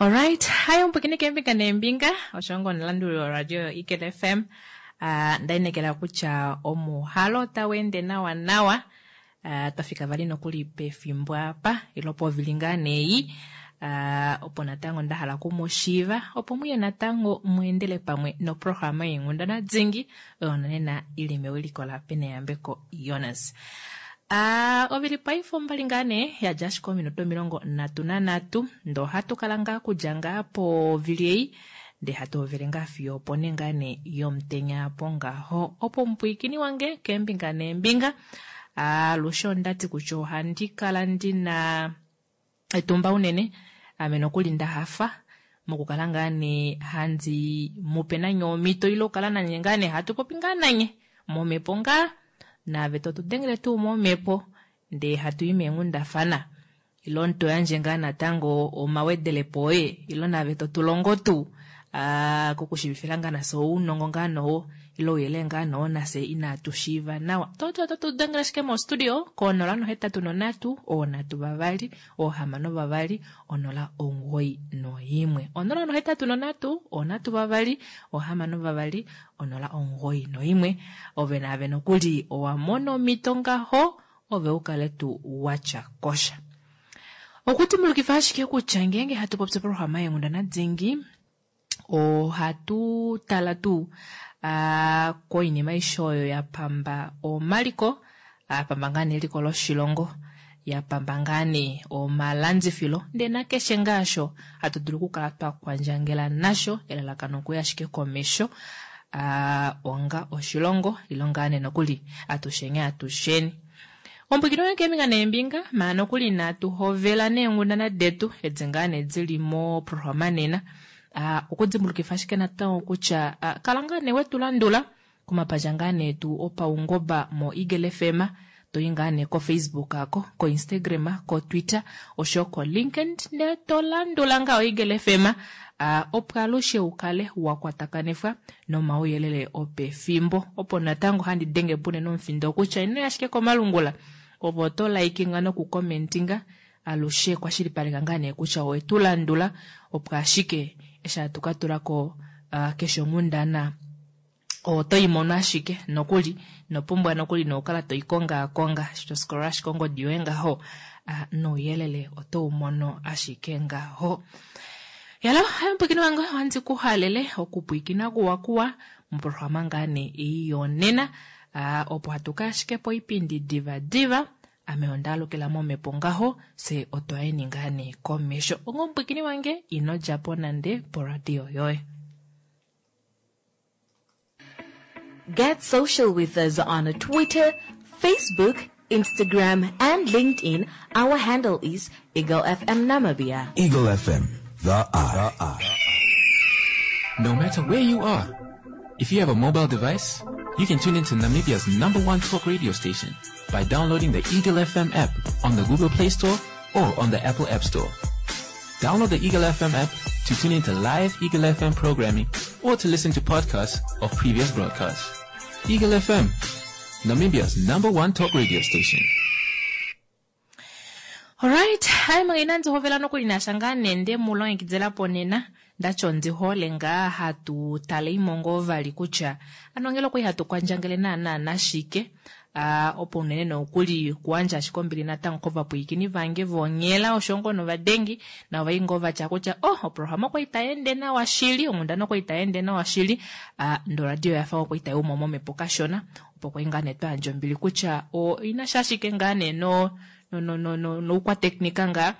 Alright, hayi omupwikini keembinga neembinga osho ngo omulanduli woradio yoEagle FM. Uh, nda inekela kutya omuhalo otau ende nawa nawa. Uh, twa fika vali nokuli pefimbo apa ilo povili ngaa neyi uh, opo natango nda hala oku mu shiiva opo muye natango mu endele pamwe noprograma yeenghundana dingi oyo nonena ili mewiliko la Peneyambeko Jonas. A Ovili paife ombali ngaa nee ya dja ashike ominute 33 ndee ohatu kala ngaa kudja ngaa povili ei ndee hatu hovele ngaa fiyo opo ne ngaa nee yomutenya apo ngaho. Opo omupwiikini wange keembinga neembinga alushe onda ti kutya ohandi kala ndina etumba unene ame nokuli nda hafa mokukala ngaa nee handi mupe nanye omhito ile okukala nanye ngaa nee hatu popi ngaa nanye momhepo ngaa naave to tu dengele tuu momhepo ndee hatu i meenghundafana ilo to yandje ngaa natango omawedelepo oye ilo naave to tu longo tuu kokushivifila ngaa nafye ounongo ngaa nowo ile ouyelele ngaa nowo nafye inatu shiiva nawa. Toto oto tu dengele ashike mostudio ko 083 3 6 0 91. 083 3 6 091. Ove naave nokuli owa mona omhito ngaho ove u kale tuu watya kosha. Okudimbulukifa ashike kutya ngeenge hatu popi oprograma yeenghundana dingi ohatu tala tuu koinima aishe oyo ya pamba omaliko, ya pamba ngaa nee eliko loshilongo, ya pamba ngaa nee omalandifilo ndee nakeshe ngaa osho hatu dulu okukala twa kwandjangela nasho, elalakano okuya ashike komesho onga oshilongo ilo ngaa nee nokuli atusheni atusheni. Ombwikino yoye keembinga neembinga maa nokuli inatu hovela neenghundana detu edi ngaa nee dili moprograma nena. Okudimbulukifa ashike natango kutya kala ngaa nee wetu landula komapandja ngaa nee tu opaungoba mo Eagle FM, to i ngaa nee koFacebook ako, koInstagram, koTwitter osho koLinkedIn ndee to landula ngaa oEagle FM opo alushe u kale wa kwatakanifwa nomauyelele opefimbo. Opo natango handi denge po unene omufindo kutya ino ya ashike komalungula ove oto likinga nokukomentinga alushe kwashilipaleka ngaa nee kutya owe tu landula opo ashike eshi hatu ka tula ko keshe onghundana oto i mono ashike nokuli ino pumbwa nokuli nokukala to i kongaakonga eshi to scroll ashike ongodi yoye ngaho nouyelele oto u mono ashike ngaho. Yalo, hayo mupwiikini wange ohandi ku halele okupwiikina kuwa kuwa moprograma ngaa nee ei yonena opo hatu ka ashike poipindi diva diva ame onda alukila momhepo ngaho fye otwa yeni ngaa nee komesho. Onga omupwiikini wange ino dja po nande poradio yoye. Get social with us on Twitter, Facebook, Instagram, and LinkedIn. Our handle is Eagle FM Namibia. Eagle FM, the eye. No matter where you are, if you have a mobile device, you can tune into Namibia's number one talk radio station by downloading the Eagle FM app on the Google Play Store or on the Apple App Store. Download the Eagle FM app to tune into live Eagle FM programming or to listen to podcasts of previous broadcasts. Eagle FM, Namibia's number one talk radio station. Alright, hai manga inandi hovela nokuli nasha ngaa nee nde mu longekidila po nena ndati ondi hole ngaa hatu tale imo ngoo vali kutya ano ngele okwali hatu kwandjangele naana nashike a opo unene nokuli kuandja ashike ombili natango kovapwiikini vange vonghela osho ngoo novadengi navo vai ngoo vatya kutya oh oprograma okwali tai ende nawa shili onghundana okwali tai ende nawa shili a ndee oradio oyafa okwali tai umo momhepo kashona opo kwali ngaa nee twayandja ombili kutya oinasha ashike ngaa nee no noukwateknika ngaa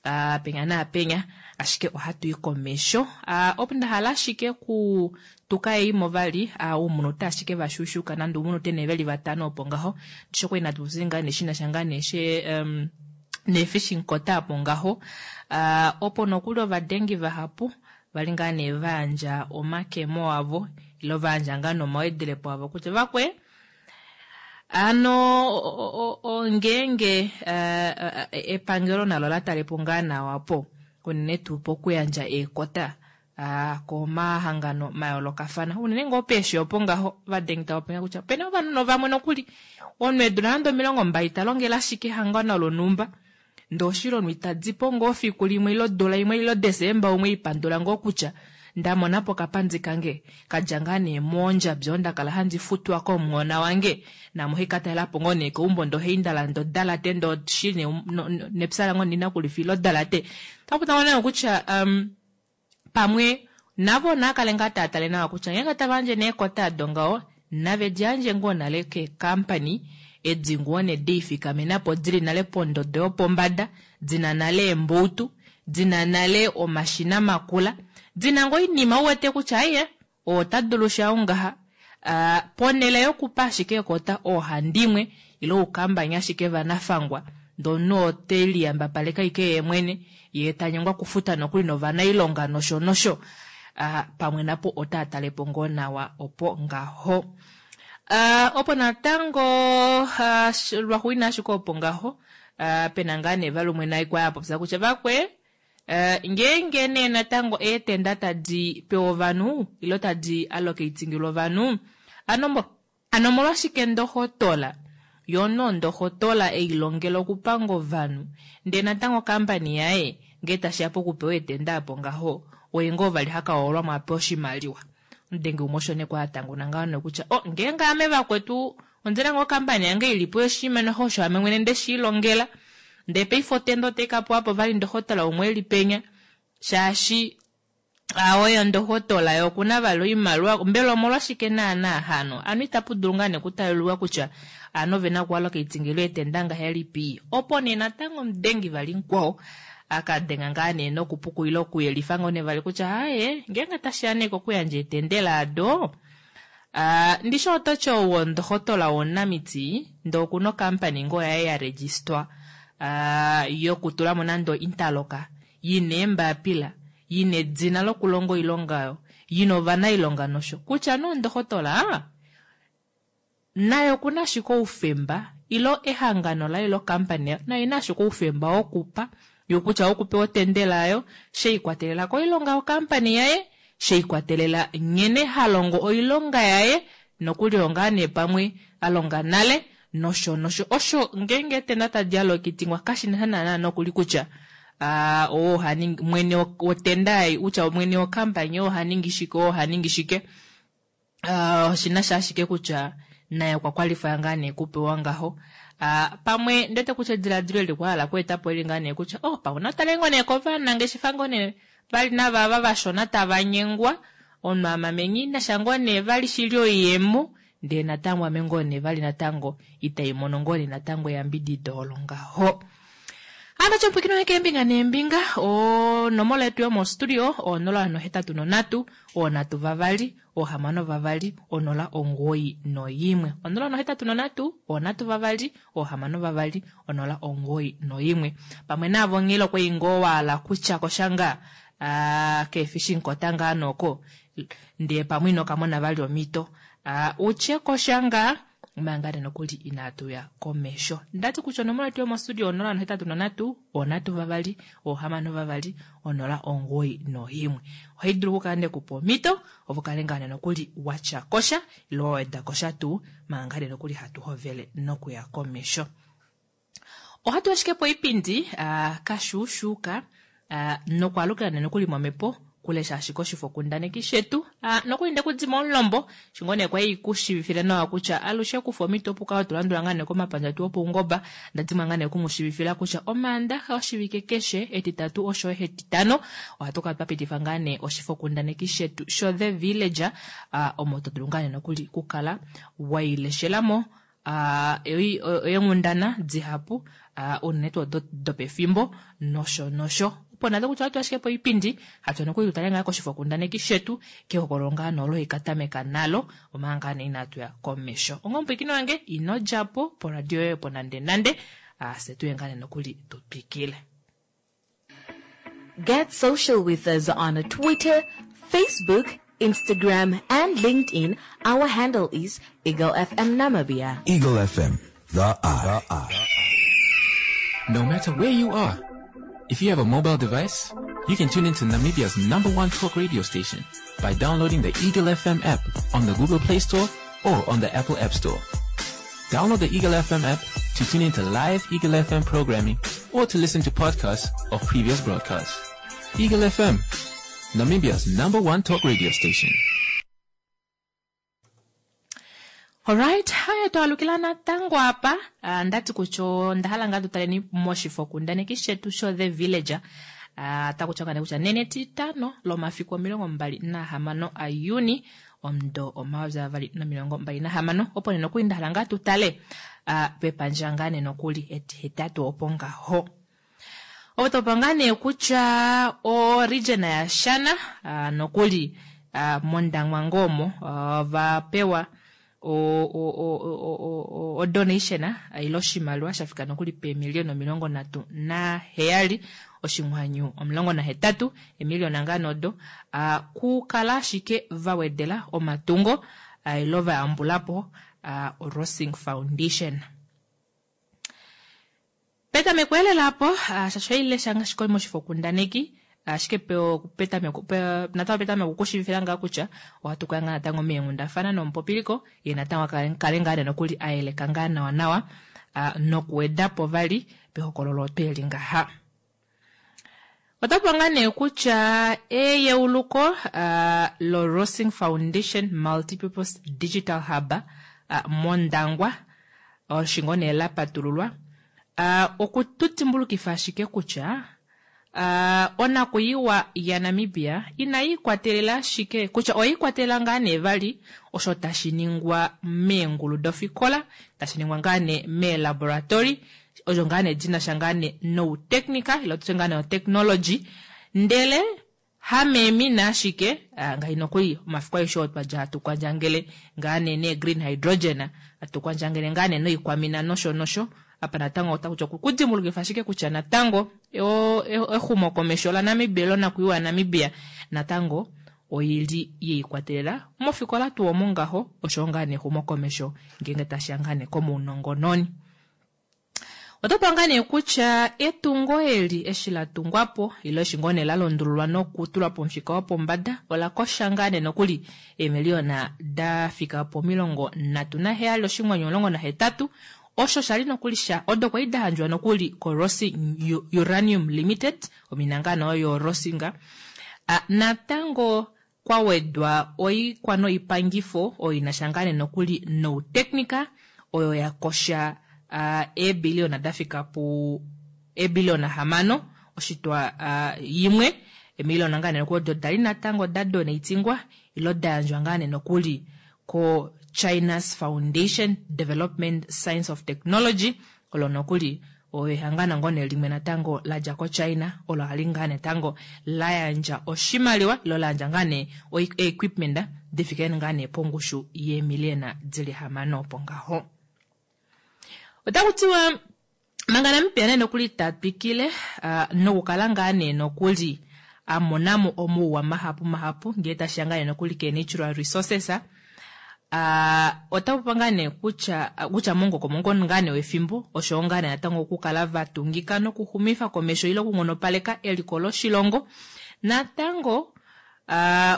a penya naapenya ashike ohatu i komesho a opo nda hala ashike ku tuka eimo vali a uumunute ashike vashushuka nande uumunute nee veli vatano opo ngaho ndishi okwali natu popye ngaa nee shinasha ngaa nee she um, neefishing quota apo ngaho a opo nokuli ovadengi vahapu vali ngaa nee vayandja omakemo avo ilo vayandja ngaa nomawedelepo avo kutya vakwe Ano ngeenge epangelo nalo la tale po ngaa nawa po unene tuu pokuyandja eekota komahangano mayoolokafana unene ngoo peeshi opo ngaho vadengi tava popi kutya opena ovanhu vamwe nokuli omunhu eedula nande 20 ta longele ashike ehangano lonhumba. Ndee oshilongo itadi po ngoo fiku limwe ile odula imwe ile Desemba umwe ipandula ngoo kutya ndamona po okapandi kange kadja ngaa nee moondjabi odo ndakala handi futwa komuhona wange naame ohai katalelapo ngoo nee keumbo ndee ohai ndalanda odalate ndee oshi nepya lange ondina okulifa ile odalate. Otapu ngoo nee kutya pamwe navo naakale ngaa taa tale nawa kutya ngeenge tava yandje nee eekota ado ngaho nave di yandje ngoo nale keekampani edi ngoo nee deifikamenapo dili nale pondodo yopombada dina nale eemboutu dina nale omashina makula dina ngoo oinima uwete kutya aiye ota dulu sha ongaha ponele yokupa ashike ekota oohandimwe ile oukambani ashike vanafangwa ndee omunhu ote liyambapaleke ashike yeemwene yee tanyengwa okufuta nokuli novanailonga nosho nosho pamwe napo otaa talepo ngoo nawa opo ngaho. Opo natango lwaxuuninwa ashike opo ngaho pena ngaa nee vali umwe naye kwali apopya kutya vakwe ngeenge nee natango eetenda tadi pewa ovanhu ile tadi allocatingilwa ovanhu ano Hano omolwashike ndohotola, yo no ndohotola ei longela okupanga ovanhu, ndee natango ocompany yaye ngee tashiya pokupewa eetenda apo ngaho oye ngoo vali haka hoolwamo apewe oshimaliwa. Omudenge umwe osho nee kwali atanguna ngaho nokutya oh ngeenge ame vakwetu ondina ngoo ocompany yange ilipo yoshinima noho osho ame mwene ndeshiilongela ndee paife otenda otai kapewa po vali ndohotola umwe eli penya shaashi Oye ndohotola ye okuna vali oimaliwa mbela omolwashike naana hano ano itapu dulu ngaa nee okutalululwa kutya ano ovena okuallocatingilwa eetenda ngahelipi opo nee natango omudengi vali mukwao akadenga ngaa nee nokupukulila okuyelifa ngoo nee vali kutya aaye ngeenge tashiya nee kokuyandja eetendela ado ndishi ototi ou wondohotola womunamiti ndee okuna ocompany ngoo yaye ya registwa yokutulamo nande ointerlock yina eembapila yina edina lokulonga oilonga oyo, yina ovanailonga nosho kutya nee ondohotola naye okuna ashike oufemba ile ehangano laye ile ocompany yaye nayo oina ashike oufemba wokupa yo kutya wokupewa otendela yayo sheikwatelela koilonga yocompany yaye, sheikwatelela nghene ha longo oilonga yaye nokuli oyo ngaa nee pamwe a longa nale nosho nosho. Osho ngeenge eetenda tadi alokitingwa kashina sha naana nokuli kutya oo oha ningi mwene wotenda ei kutya mwene wokampani oo oha ningi shike oo oha ningi shike. Oshina sha ashike kutya naye okwa kwalifaya ngaa nee kupewa ngaho. Pamwe ndiwete kutya ediladilo eli kwa hala okweeta po eli ngaa nee kutya oh pamwe natale ngoo nee kovanangeshefa ngoo nee vali navava vashona tava nyengwa omunhu amamenye inasha ngoo nee vali shili oiyemo ndee natango ame ngoo nee vali natango itai mono ngoo nee natango eyambidido olo ngaho. Hano tyopwikino heke eembinga neembinga onomola yetu yomostudio o 083 322 620 91. 083 322 620 91. Pamwe naavo nghilo kwei ngoo waala kutya koshanga keefi shinkota ngaa nooko ndee pamwe ino kamona vali omhito utye kosha ngaa manga nokuli inaatu ya komesho. Ndati kutya onomola yetu yomostudio 083 322 620 91. Ohai dulu okukala nekupa omhito ovo kale ngaa nokuli watya kosha ile wa weda kosha tuu manga nokuli hatu hovele nokuya komesho. Ohatu ashike poipindi kashuushuuka nokwaalukila nee nokuli momhepo kulesha ashike oshifokundaneki shetu nokuli nde kudima omulombo shingo nee kwai kushiivifile nawa kutya alushe kufa omhito opo ukale to landula ngaa nee komapandja etu opaungoba ndadimwa ngaa nee okumushiivifila kutya Omaandaxa oshivike keshe Etitatu oshoyo Etitano ohatu kala twa pitifa ngaa nee oshifokundaneki shetu sho The Villager omo to dulu ngaa nee nokuli kukala waileshelamo eenghundana dihapu unene tuu odo dopefimbo nosho nosho. Opo nado kutya ohatu ashike poipindi hatu nokuli tutale ngaa koshifokundaneki shetu kehokololo ngaa nolo ikatameka nalo omanga ngaa nee inatu ya komesho. Onga omupwiikini wange ino dja po poradio yoye opo nande nande fye tuye ngaa nee nokuli tu twikile. Get social with us on Twitter, Facebook, Instagram, and LinkedIn. Our handle is Eagle FM Namibia. Eagle FM, the eye. No matter where you are, if you have a mobile device, you can tune into Namibia's number one talk radio station by downloading the Eagle FM app on the Google Play Store or on the Apple App Store. Download the Eagle FM app to tune into live Eagle FM programming or to listen to podcasts of previous broadcasts. Eagle FM, Namibia's number one talk radio station. Alright, haya twalukila natango apa. Ah, ndati kutya onda hala ngaa tutaleni moshifokundaneki shetu sho The Villager. Ah, taku tiwa kutya nene etitano lomafiku 26 aJuni omudo 2026 opo nee nokuli nda hala ngaa tutale ah, pepandja ngaa nee nokuli etihetatu opo ngaho. Ovo topa ngaa nee kutya o region yaShana ah, nokuli ah, mOndangwa ngoo omo va pewa o donation ile oshimaliwa sha fika nokuli peemiliyona 37 oshinghwanyu 18 emiliyona ngaa nodo kukala ashike va wedela omatungo ile va yambulapo Rossing Foundation. Petameko elela apo shasho ilesha ngaashi moshifokundaneki ashike petameko natango petameko okushivifila ngaa kutya ohatu kaya ngaa natango meenghundafana nomupopiliko ye natango kale ngaa nokuli ayeleka ngaa nawa nawa nokuwedapo vali pehokololo otweli ngaha. Otapu ngaa nee kutya eyeuluko lo Rossing Foundation Multipurpose Digital Hub mOndangwa oshingo nee la patululwa okutudimbulukifa ashike kutya onakuyiwa yaNamibia inayi ikwatelela ashike kutya oyiikwatelela ngaa nee vali osho tashi ningwa meengulu dofikola tashi ningwa ngaa nee meelaboratory osho ngaa nee dinasha ngaa nee noutechnica ile tutye ngaa nee otechnology ndele hameemina ashike ngahi nokuli omafiku aeshe oo twadja hatu kwandjangele ngaa nee nee green hydrogen hatu kwandjangele ngaa nee noikwamina nosho nosho apa natango otakutya okudimbulukifa ashike kutya natango exumokomesho laNamibia lonakuyiwa yaNamibia natango oili yeikwatelela mofikola tuu omo ngaho osho ngaa nee exumokomesho ngeenge tashiya ngaa nee komaunongononi. Otopa ngaa nee kutya etungo eli eshi la tungwapo ile eshi ngoo nee la londululwa nokutulwa pomufika wopombada ola kosha ngaa nee nokuli eemiliyona da fika po 37 oshinghwanyu 18 osho shali nokuli sha odo kwali da handjwa nokuli ko Rossing Uranium Limited omina ngaa nee oyo Rossing natango kwa wedwa oikwa noipangifo oyo inasha ngaa nee nokuli noutechnica oyo ya kosha eebiliyona da fika pu eebiliyona 6 oshitwa 1 emiliyona ngaa nee nokuli odo dali natango da donatingwa ilo da yandjwa ngaa nee nokuli ko China's Foundation Development Science of Technology olo nokuli oyo ehangano ngoo nee limwe natango ladja koChina olo hali ngaa natango la yandja oshimaliwa ilo la yandja ngaa nee equipment difike ngaa nee pongushu yeemiliyona dili 6 opo ngaho. Otaku tiwa manga Namibia nee nokuli ta twikile nokukala ngaa nee nokuli amonamo omauwa mahapu mahapu ngee tashiya ngaa nee nokuli ke natural resources otapu ngaa nee kutya kutya mongokomongo ngaa nee wefimbo osho ngaa nee natango okukala vatungika nokuxumifa komesho ile okunghonopaleka eliko loshilongo natango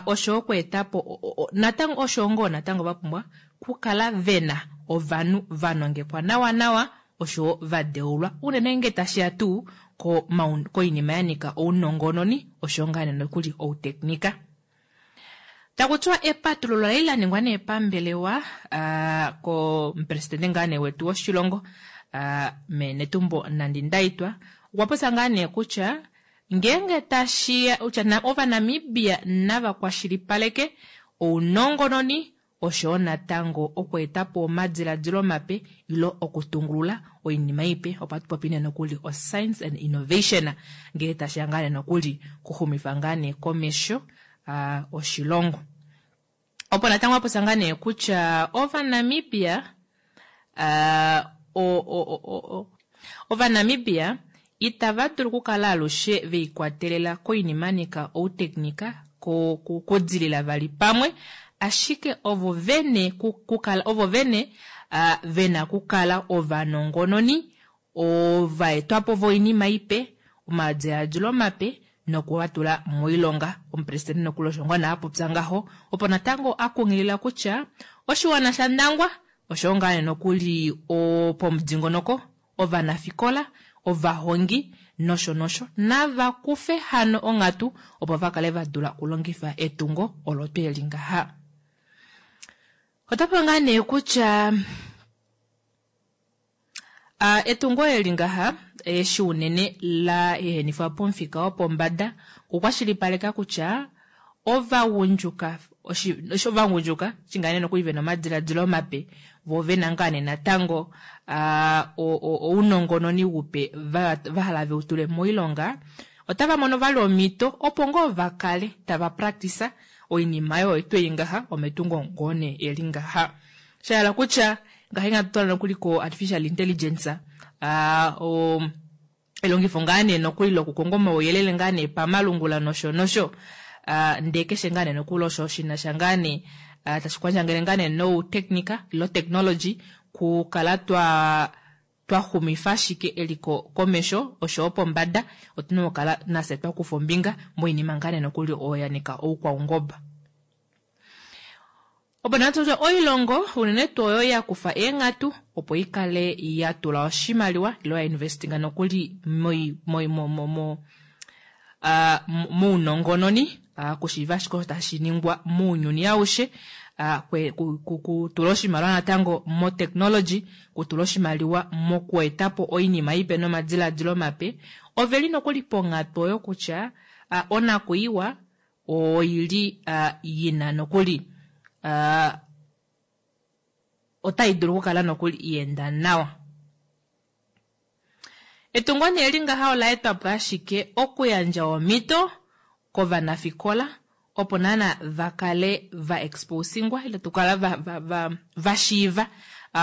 osho okweetapo natango osho ngoo natango vapumbwa kukala vena ovanhu vanongekwa nawa nawa osho vadeulwa unene nge tashiya tuu koinima yanika ounongononi osho ngaa nee nokuli outeknika. Takutiwa epatululo lali la ningwa nee pambelewa komupresidente ngaa nee wetu woshilongo mee Netumbo Nandi-Ndaitwah okwa popya ngaa nee kutya ngeenge tashiya kutya Ovanamibia nava kwashilipaleke ounongononi osho natango okweetapo omadiladilo mape ilo okutungulula oinima ipe opo atupopi nee nokuli o science and innovation ngee tashiya ngaa nee nokuli kuxumifa ngaa nee komesho oshilongo. Opo natango apopya ngaa nee kutya Ovanamibia Ovanamibia itava dulu okukala alushe veikwatelela koinima nika outeknika kudilila vali pamwe ashike ovo vene kukala ovo vene vena kukala ovanongononi ovaetwapo voinima ipe omadiladilo mape nokuvatula moilonga. Omupresidente nokuli osho ngoo nee apopya ngaho opo natango akunghilila kutya oshiwana shaNdangwa osho ngaa nee nokuli pomudingonoko ovanafikola ovahongi nosho nosho nava kufe hano onghatu opo va kale va dula okulongifa etungo olo tuu eli ngaha. Ota ngaa nee kutya etungo eli ngaha eshi unene la ehenifwa pomufika wopombada okukwashilipaleka kutya ovagundjuka ovagundjuka shingaa nokuli vena omadiladilo mape vo vena ngaa nee natango ounongononi upe va hala veutule moilonga otava mono vali omhito opo ngoo va kale tava practice oinima oyo tweyi ngaha ometungo ngoo nee eli ngaha. Shahala kutya ngaha inga tutala nokuli ko artificial intelligence elongifo ngaa nee nokuli lokukonga omauyelele ngaa nee pamalungula nosho nosho ndee keshe ngaa nee nokuli osho shinasha ngaa nee tashi kwandjangele ngaa nee noutechnica ilo technology kukala twa twaxumifa ashike eliko komesho oshowo pombada otuna okukala nafye twakufa ombinga moinima ngaa nee nokuli oyo ya nika oukwaungoba. Opo nee tutye oilongo unene tuu oyo ya kufa eenghatu opo ikale ya tula oshimaliwa ilo ya investinga nokuli mounongononi kushiiva ashike osho tashi ningwa mounyuni aushe kutula oshimaliwa natango motechnology kutula oshimaliwa mokuetapo oinima ipe nomadiladilo mape oveli nokuli ponghatu oyo kutya onakuiwa oili yina nokuli otai dulu okukala nokuli ienda nawa. Etungo nee eli ngaha ola etwa po ashike okuyandja omhito kovanafikola opo naana va kale va exposingwa ile tukala va, va, va, va shiiva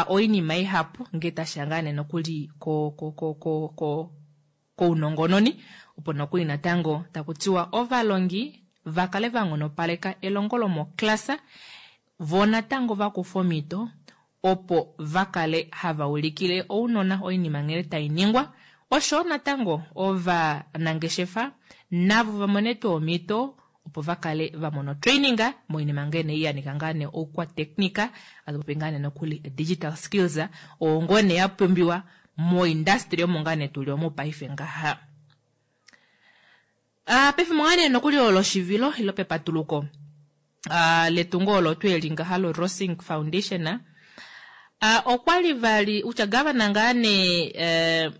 oinima ihapu ngee tashiya ngaa nee nokuli ko, ko, ko, ko, ko, kounongononi opo nokuli natango taku tiwa ovalongi va kale va nghonopaleka elongo lomoklasa vo natango va kufa omhito opo va kale hava ulikile ounona oinima nghene tai ningwa osho natango ovanangeshefa navo va mone tuu omhito opo va kale va mona otraining moinima ngene ya nika ngaa nee oukwatechnica atupopi ngaa nee nokuli digital skills oo ngoo nee ya pumbiwa moindustry omo ngaa nee tuli omu paife ngaha. Pefimbo ngaa nee nokuli olo loshivilo ilo pepatuluko letungo olo tuu eli ngaha lo Rossing Foundation okwali vali utya gavana ngaa nee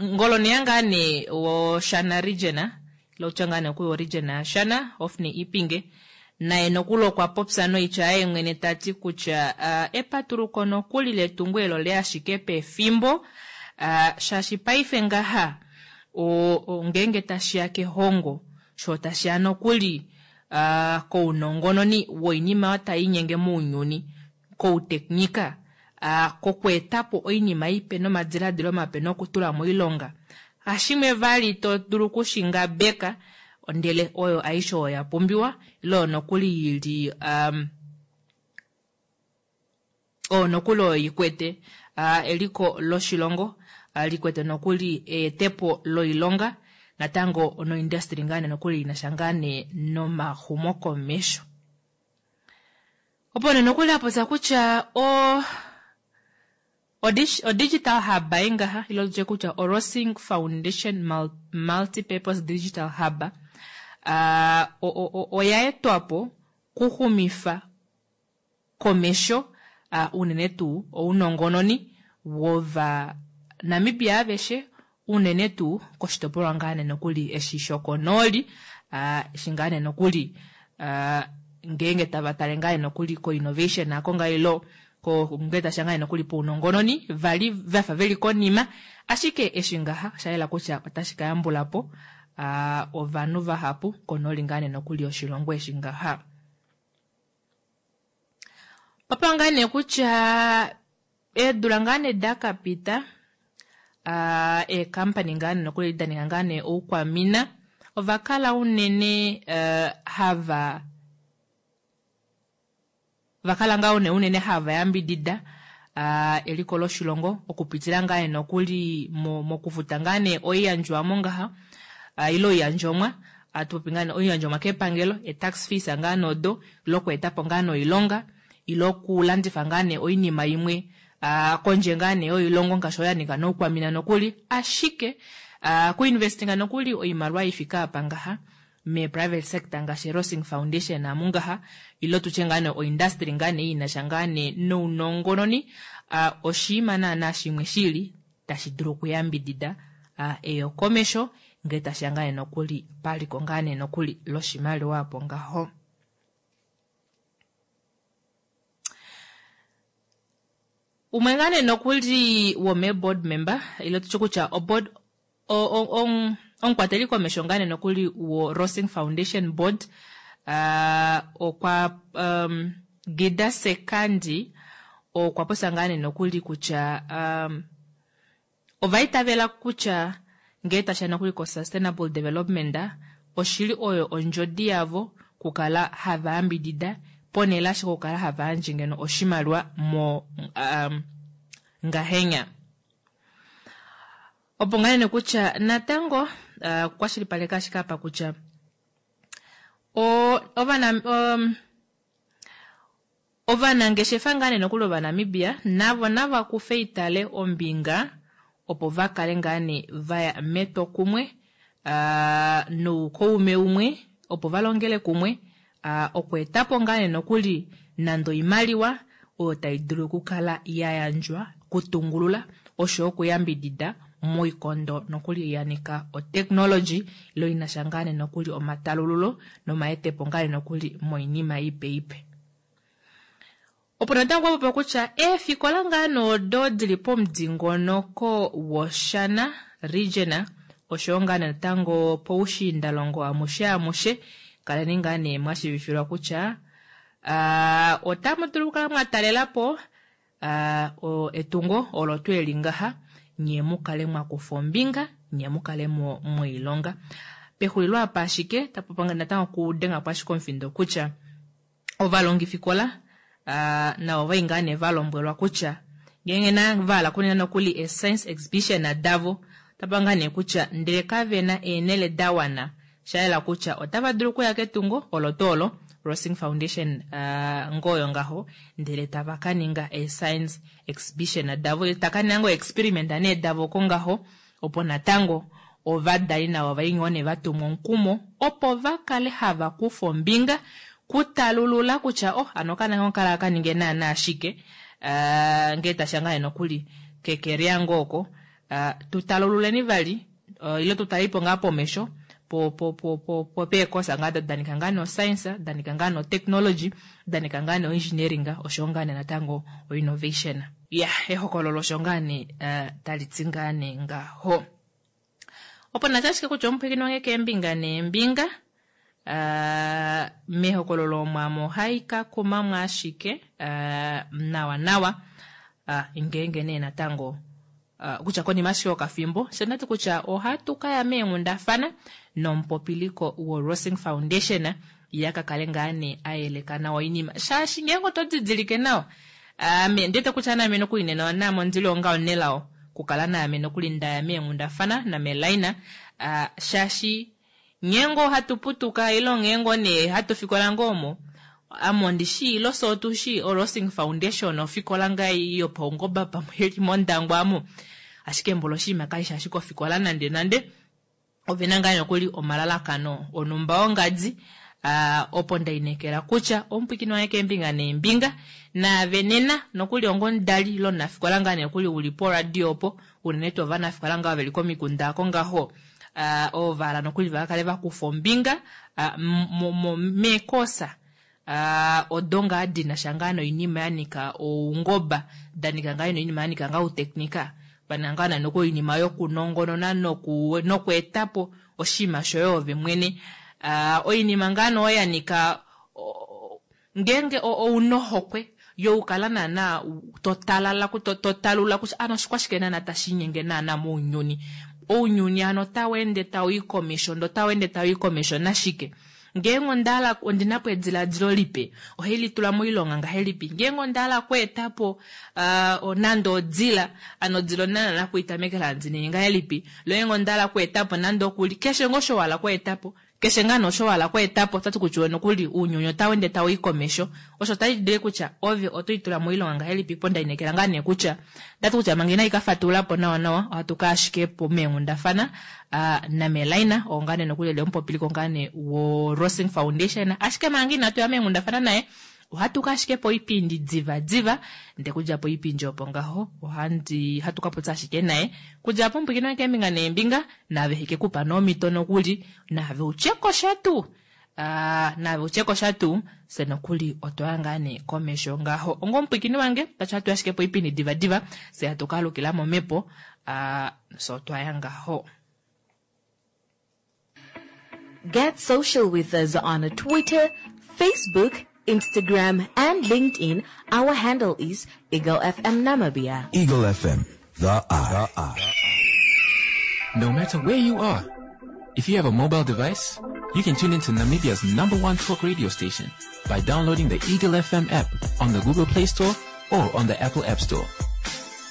ngoloneya ngaa nee woshana region ilo utya ngaa nee okuyo region yashana Hofni Ipinge naye nokuli okwa popya noitya yaye mwene tati kutya epatuluko nokuli letungo elo le ashike pefimbo shaashi paife ngaha ngeenge tashiya kehongo sho tashiya nokuli kounongononi woinima oyo tai inyenge mounyuni kouteknika kokweetapo oinima ipe nomadiladilo mape nokutula moilonga hashimwe vali to dulu okushingabeka ndele oyo aishe oyo ya pumbiwa ile oyo nokuli yili oyo nokuli oyo ikwete eliko loshilongo likwete nokuli eetepo loilonga natango noindustry ngaa nee nokuli inasha ngaa nee nomaxumokomesho. Opo nee nokuli apopya kutya o o digital hub ngaha ilo tutye kutya o Rossing Foundation Multipurpose Digital Hub oya etwapo kuxumifa komesho unene tuu ounongononi wova Namibia aveshe unene tuu koshitopolwa ngaa nee nokuli eshi shokonooli eshi ngaa nee nokuli ngeenge tava tale ngaa nee nokuli ko-innovation ako ngaa ilo ngee tashiya ngaa nee nokuli pounongononi vali vafa veli konima ashike eshi ngaha osha yela kutya otashi ka yambula po ovanhu vahapu konooli ngaa nee nokuli yoshilongo eshi ngaha. Papa ngaa nee kutya eedula ngaa nee dakapita eekampani ngaa nee nokuli da ninga ngaa nee oukwamina ova kala unene hava vakala ngaa unene hava yambidida eliko loshilongo okupitila ngaa nee nokuli mokufuta ngaa nee oiyandjwamo ngaha ile oiyandjomwa atupopi ngaa nee oiyandjomwa kepangelo e-tax fees ngaa nee odo ile okweetapo ngaa nee oilonga ile okulandifa ngaa nee oinima imwe. Kondje ngaa nee yoilongo ngaashi oyo ya nika noukwamina nokuli, ashike kuinvestinga nokuli oimaliwa ifike apa ngaha me private sector ngaashi Rossing Foundation amu ngaha, ilo tutye ngaa nee oindustry ngaa nee inasha ngaa nee nounongononi, oshiima naana shimwe shili tashi dulu okuyambidida eyokomesho ngee tashiya ngaa nee nokuli paliko ngaa nee nokuli loshimaliwa apo ngaho. Umwe ngaa nee nokuli womee board member, ile tutye kutya o board, omukwateli komesho ngaa nee nokuli wo Rossing Foundation Board, okwa Gida Sekandi okwa popya ngaa nee nokuli kutya ova itavela kutya ngee tashiya nokuli ko Sustainable Development oshili oyo ondjodi yavo kukala hava yambidida ponhele ashike okukala hava yandje ngeno oshimaliwa mo ngahenya. Opo ngaa nene kutya natango okukwashilipaleka ashike apa kutya ovanangeshefa ngaa nee nokuli Ovanamibia navo nava kufe itale ombinga opo va kale ngaa nee vaya metwokumwe noukaume umwe opo va longele kumwe okweetapo ngaa nee nokuli nande oimaliwa oyo tai dulu okukala ya yandjwa kutungulula osho okuyambidida moikondo nokuli ya nika otechnology ilo inasha ngaa nee nokuli omatalululo nomaetepo ngaa nee nokuli moinima ipe ipe. Opo natango kwa popya kutya eefikola ngaa noodo dili pomudingonoko woShana region oshoyo ngaa natango poushiindalongo amushe amushe kaleni ngaa nee mwashivifilwa kutya otamu dulu okukala mwa talelapo etungo olo tuu eli ngaha nye mukale mwa kufa ombinga nye mukale moilonga. Pexulilo apa ashike tapu natango kudenga po ashike omufindo kutya ovalongifikola navo vai ngaa nee valombwelwa kutya ngeenge na vahala kunena nokuli e science exhibition davo otapa ngaa nee kutya ndele kavena eenhele da wana shayela kutya otava dulu okuya ketungo olo tuu olo Rossing Foundation ngoyo ngaho ndele tava ka ninga e science exhibition davo taka ninga ngo experiment nee davo ko ngaho opo natango ovadali navo vai ngoo nee vatumwa omukumo opo va kale hava kufa ombinga kutalulula kutya oh ano kana ngo kala ka ninge naana ashike ngee tasha ngaa nokuli kekeria ngoo oko tutalululeni vali ile tutalipo ngaa pomesho po po po po po peekosa ngaa danika ngaa no science danika ngaa no technology danika ngaa no engineering osho ngaa nee natango o innovation. Ya ehokololo osho ngaa nee tali ti ngaa nee ngaho. Opo nacha ashike kutya omupwiikini wange keembinga neembinga mehokololo omwamo ohai ka kumamwa ashike nawa nawa ngeenge nee natango kutya konima ashike yokafimbo sho ndati kutya ohatu kaya meenghundafana nomupopiliko wo Rossing Foundation ya ka kale ngaa nee ayeleka nawa oinima shaashi ngeenge oto didilike nawa ame ndete kutya naame nokuli nena naame ondili onga onelao kukala naame nokuli ndaya meenghundafana namelaina shaashi ngeenge ohatu putuka ilo ngeenge nee hatu fikola ngoo omo ame ondishi ilo so otushi o Rossing Foundation ofikola ngaa yopaungoba pamwe ili mondangwa amo ashike mbolo oshinima kaisha ashike ofikola nande nande ovena ngaa nokuli omalalakano onumba ongadi opo ndainekela kutya omupwikini wange keembinga neembinga naave nena nokuli ongomudali ilo omunafikola ngaa nokuli uli poradio opo unene tuu ovanafikola ngaa veli komikunda ako ngaho ovala nokuli vakale vakufa ombinga meekosa odo ngaa dinasha ngaa noinima ya nika oungoba danika ngaa noinima ya nika ngaa outeknika pana ngaa nokuli oinima yokunongonona nokweetapo oshinima shoye ove mwene oinima ngaa noo ya nika ngeenge ounohokwe youkala naana totalala totalula kutya ano oshikwashike naana tashinyenge naana mounyuni ounyuni ano taweende tauyi komesho ndo taweende tauyi komesho nashike ngeenge ondahala ondinapo ediladilo lipe ohailitula moilonga ngahelipi ngeenge ondahala okweetapo nande odila ano odila onana nakuitamekela ndiningi ngahelipi lo ngeenge ondahala okweetapo nande okuli keshe ngoo osho wahala okweetapo. Keshe ngaa nee osho wa hala okweeta po, otati kutya nokuli uunyuni otau ende tau i komesho. Osho otashi kutya ove oto itula moilonga ngahelipi po ndainekela ngaa nee kutya ndati kutya manga inayi ka fatulula po nawa nawa ohatu ka ashike po meenghundafana naMelaina oo ngaa nee nokuli eli omupopiliko ngaa nee woRossing Foundation. Ashike manga inatu ya meenghundafana naye ohatu ka ashike poipindi diva diva ndee kudja poipindi opo ngaho ohandi hatu ka popya ashike naye kudja apo omupwiikini wange keembinga neembinga naave heke kupa nomhito nokuli naave utyeko sha tuu naave utyeko sha tuu fye nokuli otwaya ngaa nee komesho ngaho onga omupwiikini wange tashi hatu ashike poipindi diva diva fye hatu ka alukila momhepo fye otwaya ngaho. Get social with us on Twitter, Facebook, Instagram, and LinkedIn. Our handle is Eagle FM Namibia. Eagle FM, the eye. The eye. No matter where you are, if you have a mobile device, you can tune into Namibia's number one talk radio station by downloading the Eagle FM app on the Google Play Store or on the Apple App Store.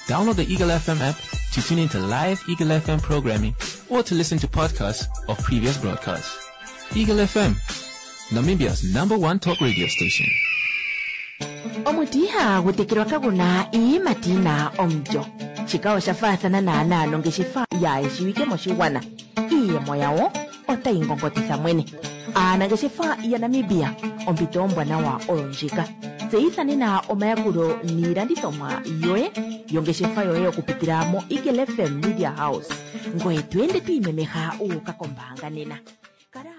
Download the Eagle FM app to tune into live Eagle FM programming or to listen to podcasts of previous broadcasts. Eagle FM, Namibia's number one talk radio station. Omuti ihagu tekelwa kagu na iiyimati yi na omulyo. Shika osha faathana naanaa nongeshefa yaa shiwike moshigwana. Iiyemo yawo otayi ngongotitha mwene. Aanangeshefa yaNamibia, ompito ombwanawa oyo ndjika. Tseyitha nena omayakulo niilandithomwa yoye yongeshefa yoye okupitila moEagle FM Media House. Ngoye to ende to imemeha wu uka kombaanga nena. Kala.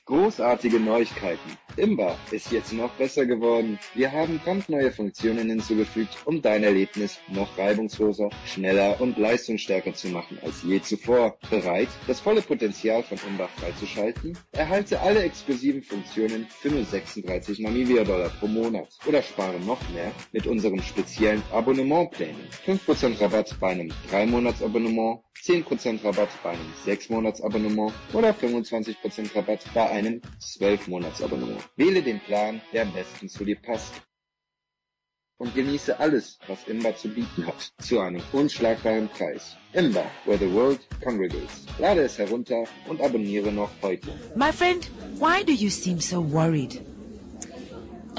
Großartige Neuigkeiten! Imba ist jetzt noch besser geworden. Wir haben brandneue Funktionen hinzugefügt, um dein Erlebnis noch reibungsloser, schneller und leistungsstärker zu machen als je zuvor. Bereit, das volle Potenzial von Imba freizuschalten? Erhalte alle exklusiven Funktionen für nur 36 Namibia-Dollar pro Monat oder spare noch mehr mit unserem speziellen Abonnementplänen. 5% Rabatt bei einem 3-Monats-Abonnement, 10% Rabatt bei einem 6-Monats-Abonnement oder 25% Rabatt bei einem 12-Monats-Abonnement. Wähle den Plan, der am besten zu dir passt und genieße alles, was Imba zu bieten hat, zu einem unschlagbaren Preis. Imba, where the world congregates. Lade es herunter und abonniere noch heute. My friend, why do you seem so worried?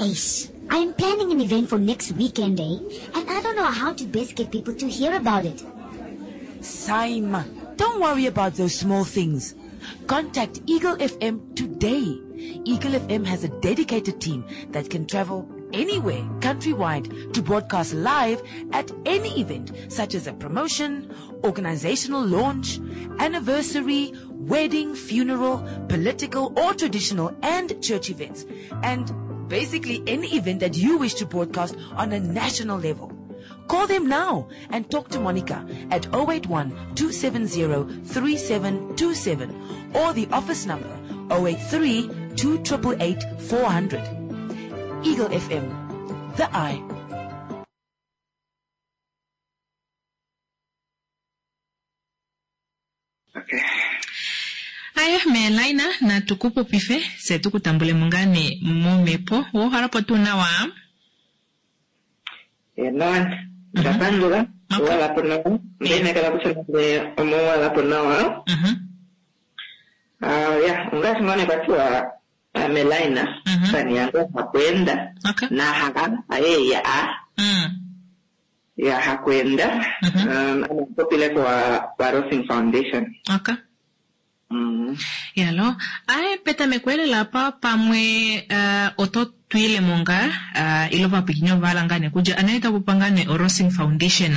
Ace, I'm planning an event for next weekend, eh? And I don't know how to best get people to hear about it. Saima, don't worry about those small things. Contact Eagle FM today. Eagle FM has a dedicated team that can travel anywhere countrywide to broadcast live at any event such as a promotion, organizational launch, anniversary, wedding, funeral, political or traditional and church events, and basically any event that you wish to broadcast on a national level. Call them now and talk to Monica at 081 270 3727 or the office number 083 288 400. Eagle FM, the eye. Okay. Aye, Melaina, natu ku popife, se tu ku tambule mo ngaa nee momhepo. Wo po tuu nawa? Enawa, onda pandula, owala po nawa. Onda inekela kutya nande omowala po nawa. Ah, ya, ongaashi ngaa nee kwa tiwa Melaina, fani yange hakuenda na ha aye ya a. Ya hakuenda. Um, popile kwa kwa Rossing Foundation. Okay. Yalo, aye petameko elela apa pamwe uh, oto twile mo ngaa uh, ilo vapwikinyi ovahala ngaa nee kutya anaye tapopa ngaa nee oRossing Foundation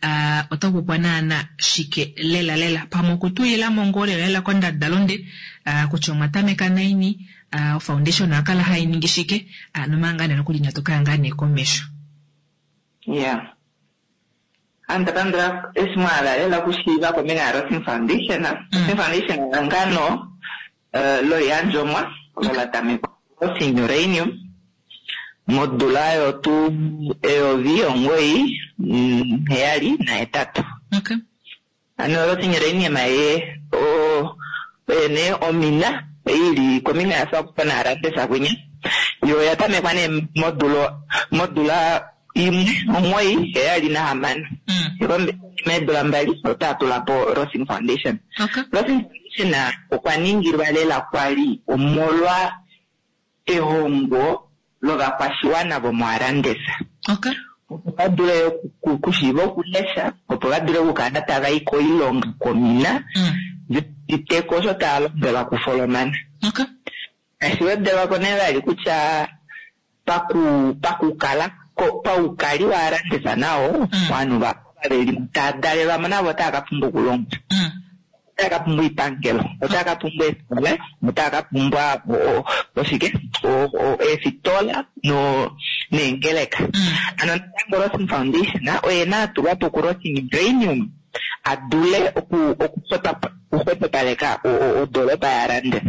uh, ota popwa naana shike lela lela pamwe okutuyila mo ngoo lela lela kondadalunde uh, kutya omwa tameka naini uh, ofoundation oya kala hai ningi shike uh, nomanga ngaa nee nokuli inatu kaya ngaa nee komesho. Yeah. Ame nda pandula eshi mwa hala lela okushiiva kombinga yaRossing Foundation. Rossing Foundation ehangano loiyandjomwa olo la tamekwa kuRossing Uranium modula yotu 1978. Okay. Hano Rossing Uranium ye oye nee omina i li kombinga yaSwakopo naHarambes kwinya. Yo oya tamekwa nee modula 1 9 7 6. Meedula mbali otava tula po Rossing Foundation. Okay. Rossing Foundation Foundation okwa ningilwa lela kwali omolwa ehongo lovakwashiwana vomoArandis. Okay. Opo va dule okushiiva okulesha, opo va dule okukala tava i koilonga komina, viteko osho tava lombwelwa kufolomana. Okay. Tashi wedelwako nee vali kutya pakukala paukali waArandis nao, ovanhu veli tava dalelwamo navo otava ka pumbwa okulongwa. Otava ka pumbwa oipangelo, otava ka pumbwa eefikola, otava ka pumbwa oshike eefitola neengeleka. Ano natango Rossing Foundation oye na atulwa po kuRossing Uranium a dule okuxwepopaleka odoropa yaArandis.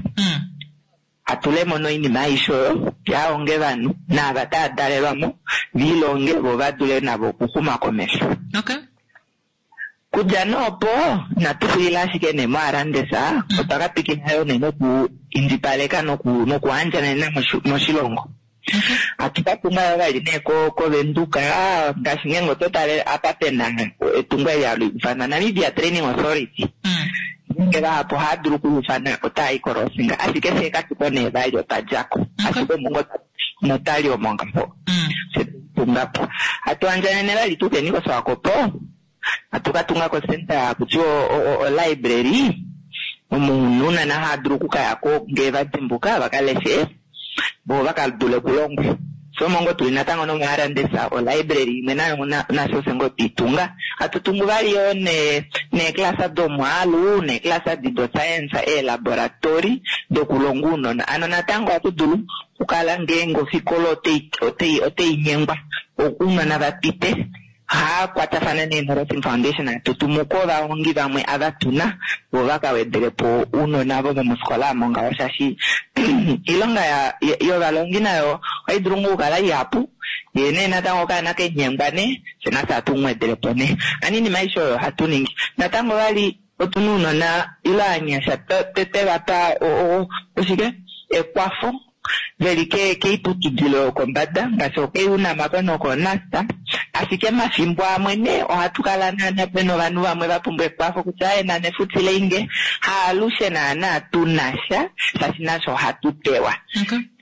Atulemo noinima aishe oyo yahonge ovanhu naava tava dalelwamo vilonge vo vadule navo okuxuma komesho. Okay. Kudja noopo inatu xulila ashike nee moArandis, otwa ka twikila yo nee noku indjipaleka nokuandjanena moshilongo. Hatu ka tunga yo vali nee koVenduka, ngaashi ngeenge oto tale apa pena etungo eli hali ifanwa Namibia Training Authority. Ngeenge vahapu ohava dulu okuufana otava i koRossing, ashike fyee katuko nee vali otwa djako. Ashike omo notali omo ngaho fye tunga po. Hatu andjanene vali tukeni koSwakopo, hatu ka tunga kocenter haku tiwa olibrary, omo ounona hava dulu okukayako ngee va dimbuka va ka leshe vo vaka dule okulongwa. So omo ngoo tuli natango nomoArandis olibrary imwe nayo nasho fye ngoo twiitunga. Hatu tungu vali yoo neeklasa domwaalu, neeklasa di do science, eelaboratori dokulonga ounona. Ano natango ohatu dulu okukala ngeenge ofikola otei nyengwa ounona va pite, ohakwatafana nee noRossing Foundation hatu tumu ko ovahongi vamwe ava tuna vo vaka wedelepo ounona vo vomofikola omo ngaho, shaashi oilonga yovalongi nayo ohayi dulu ngoo okukala ihapu, yee nee natango okaana kenyengwa nee fye nafye hatu mu wedelepo nee. Ano oinima aishe oyo ohatu ningi. Natango vali otuna ounona ile ovanyasha twe vapa oshike ekwafo veli keiputudilo yokombada ngaashi okUNAM nokoNUST, ashike mafimbo amwe nee ohatu kala naana pena ovanhu vamwe va pumbwa ekwafo kutya aye nane futileinge, haalushe naana tunasha shaashi nasho ohatu pewa.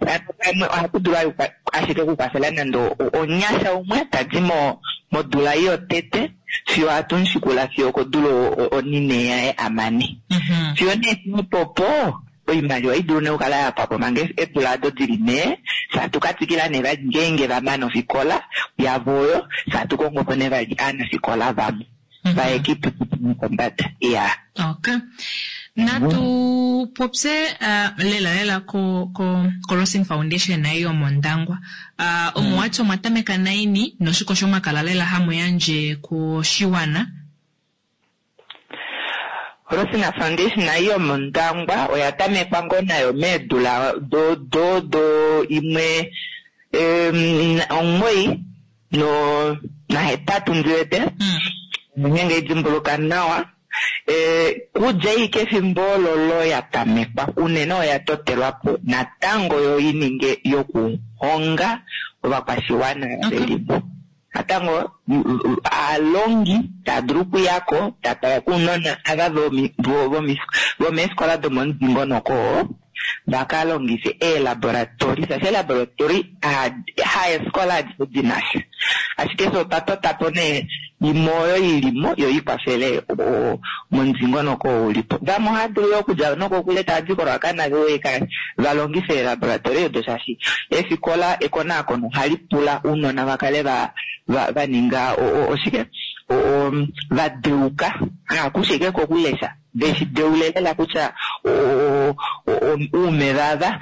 Vamwe ohatu dulu ashike okukwafela nande onyasha umwe tadi modula yotete fiyo hatu mushikula fiyo okodula onine yaye amane. Fiyo nee popo oimaliwa idulu nee okukala yapwapo manga eedula ado dili nee, hatu ka twikila nee vali ngeenge vamane ofikola yavo oyo, hatu kongo po nee vali aanafikola vamwe vaye kiiputudilo yopombada. Iya. Okay. Natu popye lela lela ko Rossing Foundation nayo yomOndangwa. Omuwati omwa tameka naini noshiko shomakala lela hamu yandje koshiwana? Rossing Foundation nayo yomOndangwa oya tamekwa ngoo nayo meedula do do do imwe 9 no nahetatu ndiwete. Ngeenge idimbuluka nawa. Kudja ashike efimbo olo ya tamekwa unene oya totelwapo natango yo ininge yokuhonga ovakwashiwana velimo. Natango aalongi tava dulu okuyako tava kuunona ava vomeefikola domomudingonoko vaka longife eelaboratori, shaashi eelaboratori haefikola adishe dinasha, ashike fye otwa totapo nee imwe oyo ilimo yo ikwafele momudingonoko oo ulipo. Vamwe ohava dulu yoo okudja nokokule tava di koRuacana va longife eelaboratori odo, shaashi eefikola ekonakono ohali pula ounona va kale va ninga oshike va deuka, hakushe ashike kokulesha, veshi deule lela kutya uumeva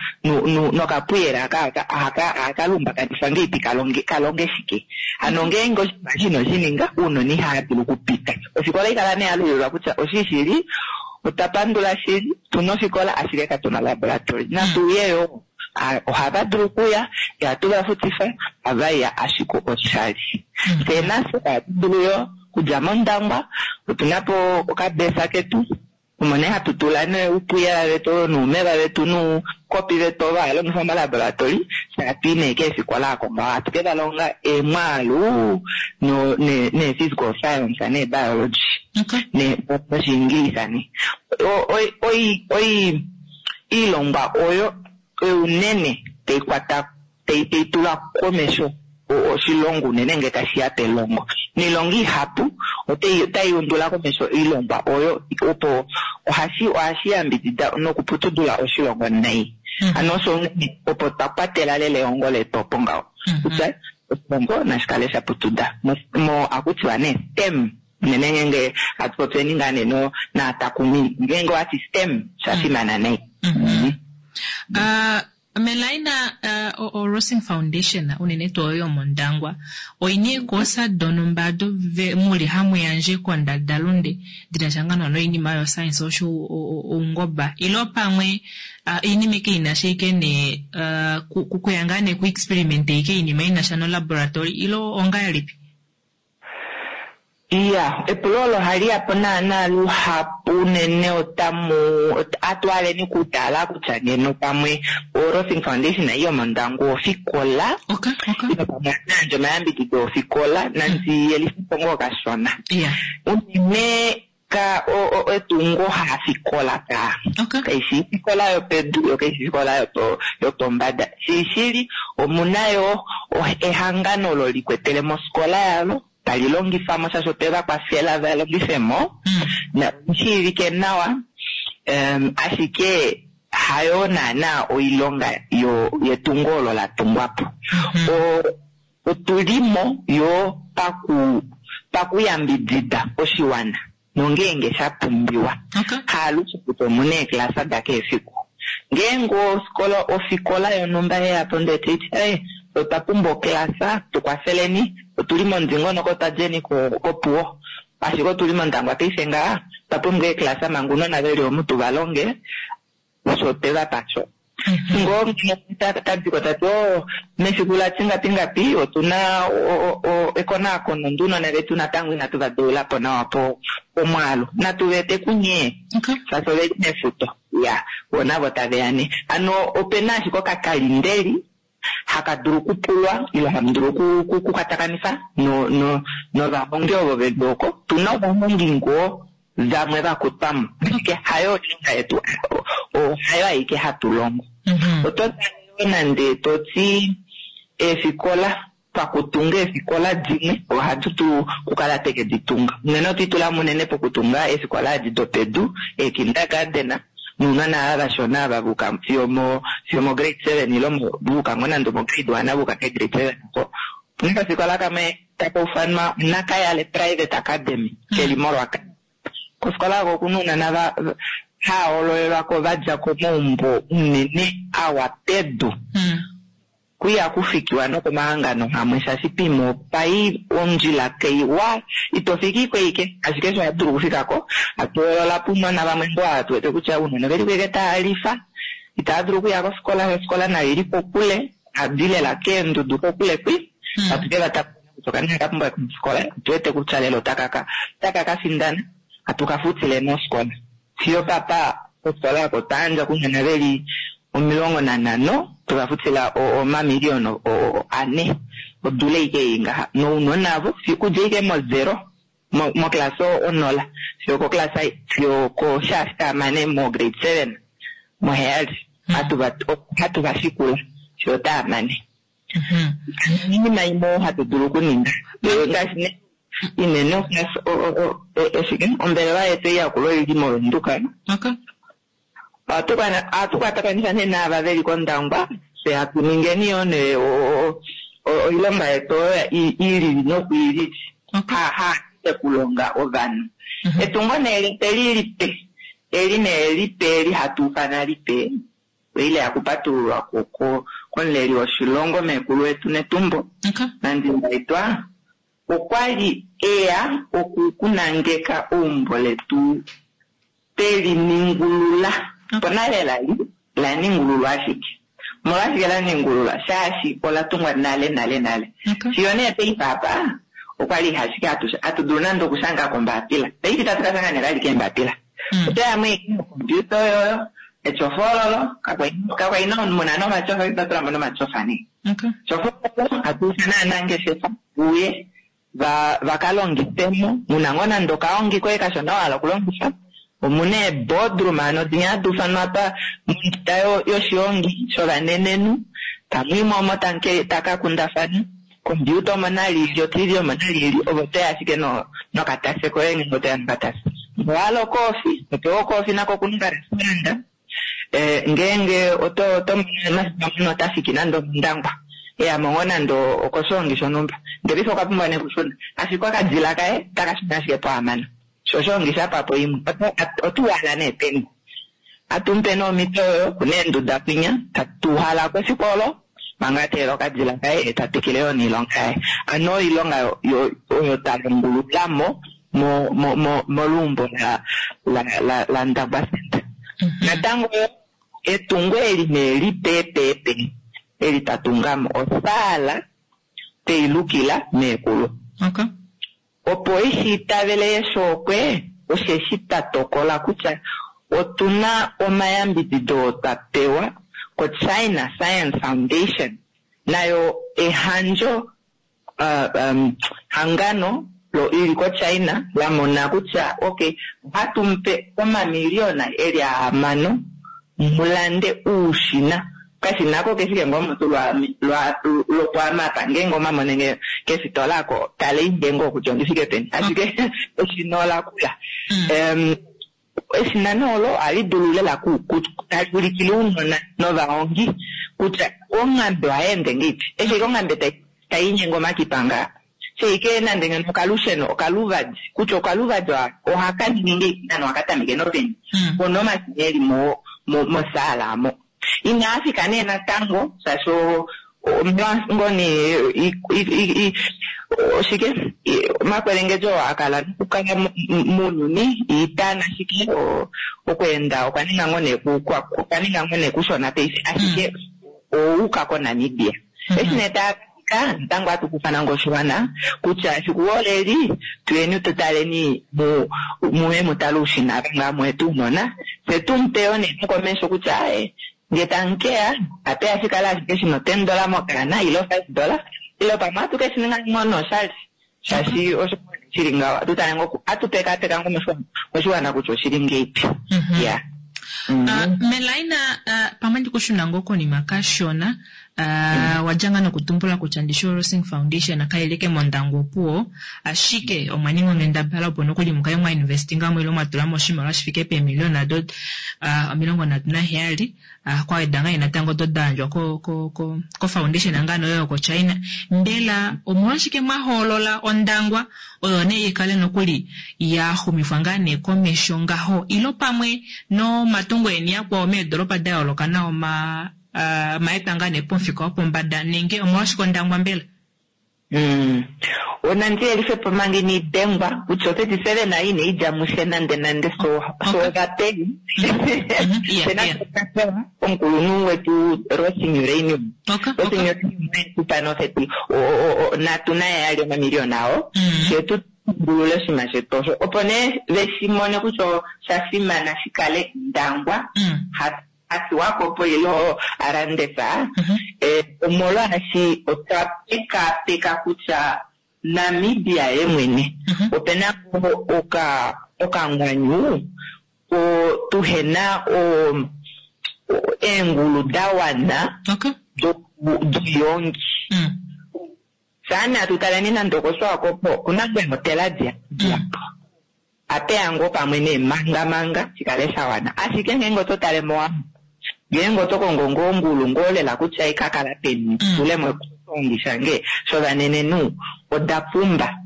nokapuyela ohaka lumbakanifwa ngeipi kalonge shike. Hano ngeenge oshinima shino shininga ounona ihava dulu okupita. Ofikola ikala nee yalulilwa kutya oshishili otwa pandula shili tuna ofikola ashike katuna laboratory. Natuye yoo ohava dulu okuya, ihatu va futifa, ohava ashike oshali. Fye nafye ohatu dulu yoo okudja mOndangwa otuna po okabesa ketu. Omo nee hatu tula nee oupuyela vetu noumeva vetu noukopi vetu ovo hava longifwa molaboratori, fye hatu i nee keefikola oko ngaho hatu ke va longa eemwaalu no nee nee physical science nee biology nee noshiingilisa nee. Oi oi oi oilongwa oyo unene tai kwata tai tai tula komesho oshilongo unene ngee tashi ya pelongo. Noilonga ihapu otai otai undula komesho oilongwa oyo opo ohashi ohashi yambidida nokuputudula oshilongo nai. Hano osho unene opo twa kwatela lela ehongo letu opo ngaho kutya oshilongo nashi kale sha putuda mo mo ohaku tiwa nee STEM unene ngeenge hatu popyeni ngaa nee no naatakumi ngeenge owati STEM osha fimana nai. Melaina, o Rossing Foundation, unene tuu oyo yomOndangwa, oi na eekoosa donhumba odo mu li hamu yandje kondadalunde di na sha ngaa noinima yoscience osho oungoba ile pamwe oinima ike i na sha ike nee kuya ngaa nee ku experiment ike oinima i na sha nolaboratory ile ongahelipi? Iya, epulo olo ohali ya po naanaa luhapu unene otamu atwaleni okutala kutya ngeno pamwe oRossing Foundation ei yomOndangwa ofikola Okay, okay. ile pamwe ohatu yandje omayambidido ofikola nandi yelife po ngoo kashona. Yeah. Unene ka o, o, etungo hafikola ka. Okay. Kaishi ofikola yopedu yo kaishi ofikola yopo yopombada. Shili omuna yo ehangano olo likwetele mosikola yalo tali longifa mo shaashi otwe va kwafela va longife mo. Na shiivike nawa ashike hayo naana oilonga yo yetungo olo la tungwa po. Otulimo yo paku pakuyambidida oshiwana nongeenge sha pumbiwa. Okay. Haalushe kutya omuna eeklasa da kehe efiku. Ngeenge ofikola ofikola yonhumba yeya po ndele taiti ee otwa pumbwa oklasa tukwafeleni otuli momudingonoko twadjeni kOpuwo ashike otuli mOndangwa paife ngaha otwa pumbwa eeklasa manga ounona veli omu tuva longe osho otwe va pa sho. Ngoo tadiko tati oo mefiku la tingapi ngapi otuna ekonakono ndee ounona vetu natango inatu va deula po nawa po pomwaalu natu va ete kunye Okay. shaashi oveli mefuto ya vo navo taveya nee. Hano opena ashike okakalindeli haka dulu okupulwa ile hamu dulu okukwatakanifa no no novahongi ovo veli oko. Tuna ovahongi ngoo vamwe vakutwamo ashike hayo oilonga yetu hayo aike hatu longo. Oto tale yoo nande toti eefikola pakutunga eefikola dimwe ohatu tu kukala teke ditunga unene otwiitulamo unene pokutunga eefikola edi dopedu eekindergarten nounona ava vashona ava vuka fiyo mo fiyo mo grade 7 ile vuka ngoo nande mo grade 1 vuka ke grade 7 oko. Opuna okafikola kamwe taka ufanwa Nakayale Private Academy keli moRwaka. Kofikola oko okuna ounona va hahoololelwako vadja komaumbo unene awa pedu. Kuya kufikiwa nokomahangano amwe shaashi poima opai ondjila kaiwa ito fiki ko ike ashike osho ohatu dulu okufikako hatu hoolola po ounona vamwe ngoo ava tuwete kutya ounona oveli ko ike tava lifa itava dulu okuya kofikola ofikola nayo ili kokule hadi lela keendudu kokule kwi hatu ke va takuna kutya okanona ka pumbwa kofikola otuwete kutya lela otaka ka findana hatu ka futile mofikola fiyo papa kofikola oko otwa yandja kounona veli 15 tweva futila omamiliyona 4 odula ike ei ngaha nounona avo okudja ike mo 0 moklasa onola fiyo koklasa fiyo koshaashi taamane mo grade 7 moheyali hatu va shikula fiyo taamane. Oinima imwe hatu dulu okuninga ngaashi nee inene eshike ombelewa yetu ei yakula oili mOvenduka. Okay. Ohatu kwatakanitha nee naava veli kOndangwa fye hatu ningeni yoo nee oilonga yetu oyo ilili nokuilili. Okay. Ha okulonga ovanhu. Etungo nee lipe li lipe eli nee lipe eli hatu ufana lipe ile yakupatululwa komuleli woshilongo meekulu wetu Netumbo. Okay. Nandi-Ndaitwah okwali eya okunangeka eumbo letu teliningulula. Ponale lali la ningululwa ashike. Omolwashike la ningululwa? Shaashi ola tungwa nale nale nale. Okay. Fiyo nee paife apa okwali ashike hatu dulu nande okushanga kombaapila. Paife itatu ka shanga nee vali keembapila. Otoya mo ashike nokompiuta oyoyo, etyofa ololo, kakwali muna nomatyofa, otwa tula mo nomatyofa nee. Etyofa ololo, hatu ifana aanangeshefa uye va ka longifemo. Muna ngoo nande okahongi koye kashona wa hala okulongifa. Omuna eeboardroom, ano dinya hadi ufanwa apa monduda yoshihongi shovanenenhu. Tamu i mo omo taka kundafana. Kompiuta omo nali ili, oTV omo nali ili, ove otoya ashike nokatase koye ngeenge otoya nokatase. Ngee owa hala okoofi, topewa okoofi nako okuna okarestaurant. Ngeenge oto mono mafiku amwe ota fiki nande omOndangwa, eya mo ngoo nande okoshihongi shonhumba, ndele paife okwa pumbwa nee okushuna, ashike okadila kaye otaka shuna ashike pohamano. Sho oshihongi sha pwa po imwe, ota uhala nee peni? Ohatu mupe nee omhito oyo, okuna eenduda kwinya, tatu uhala ko efiku olo, manga a teelela okadila kaye, ye ta twikile yoo noilonga yaye. Hano oilonga oyo twa longulula mo moluumbo laNdangwa Centre. Natango etungo eli nee lipeepeepe eli twa tunga mo, osaala twei lukila meekulu. Opo ishi itavele yeshookwe, osheshi twa tokola kutya otuna omayambidido oo twa pewa koChina Science Foundation, nayo ehandjo hangano ili koChina la mona kutya okay, ohatu mupe omamiliyona eli ahamano mulande uushina. Okashina ako kefike ngoo mutu lwopoamapa, ngeenge omamone nge kefitola ako, tale nge ngoo kutya ondifike peni. Ashike eshina ola kula. Eshina nee olo ohali dulu lela tali ulikile ounona novahongi kutya onghambe ohai ende ngeipi. Eshi ashike onghambe tai linyenge omakipa ngaa. Sheike nande ngeno okalusheno, okaluvadi, kutya okaluvadi ohaka ningi ngeipi nana ohaka tameke nopeni. Ono omashina eli mosaala omo. Inaa fika nee natango, shaashi omolwa nee oshike omakwelengedjo oo a kala nokukala mounyuni, iita nashike, okweenda okwa ninga ngoo nee okwa ninga ngoo nee kushona paife, ashike owauka koNamibia. Eshi nee taa fika, natango ohatu kufana ngoo oshiwana kutya efiku oleli, tuyeni tu taleni muye mu tale oushina ava ngaa muye tuunona, fye tumupe yoo nee nokomesho kutya aaye, nge tamukeya, ape ashikale ashike shina $10 mokaana ile $5, ile pamwe ohatu keshi ninga ngoo noshali, shaashi osho shili ngaho, ohatu tale ngoo, ohatu pekaapeka ngoo moshiwana kutya oshili ngeipi. Ya. Melaina, pamwe ndikushuna ngoo konima kashona, wadja ngaa nokutumbula kutya ndishi oRossing Foundation kailike mOndangwa opuwo, ashike omwa ninga onghendabala opo nokuli mukale mwa investinga mo ile mwa tula mo oshimaliwa shi fike peemiliona do 37, kwa weda ngaa natango do da yandjwa ko foundation ngaa noyo yokoChina. Mbela omolwashike mwa hoolola Ondangwa oyo nee ikale nokuli ya xumifwa ngaa nee komesho ngaho, ilo pamwe nomatungo eni akwao meedoropa da yooloka nao maetwa ngaa nee pomufika wopombada, nenge omolwashike Ondangwa mbela? Onandi yelife po manga inai dengwa kutya o37 inai dja mushe nande nande, so ovapeni. Tena omukulunhu wetu Rossing Uranium. Rossing Uranium oye tu pa nofeti, natu naye ali omamiliyona ao. Fye tu tungulule oshinima shetu osho. Opo nee ve shi mone kutya osha fimana shi kale Ndangwa. Hatuwako po ilo a landefa. Omolwaashi otwa pekaapeka kutya Namibia ye mwene. Opena okangwanyu, tuhena eengulu da wana doyongi. Saana tutaleni nande okoSwakopo, okuna ngoo eehotela dihapu. Apeya ngoo pamwe neemanga manga shikale sha wana. Ashike ngeenge oto tale mOwambo, ngeenge oto kongo ngoo ongulu ngoo lela kutya ikakala peni, tulemo oshihongi shange shovanenenhu oda pumba.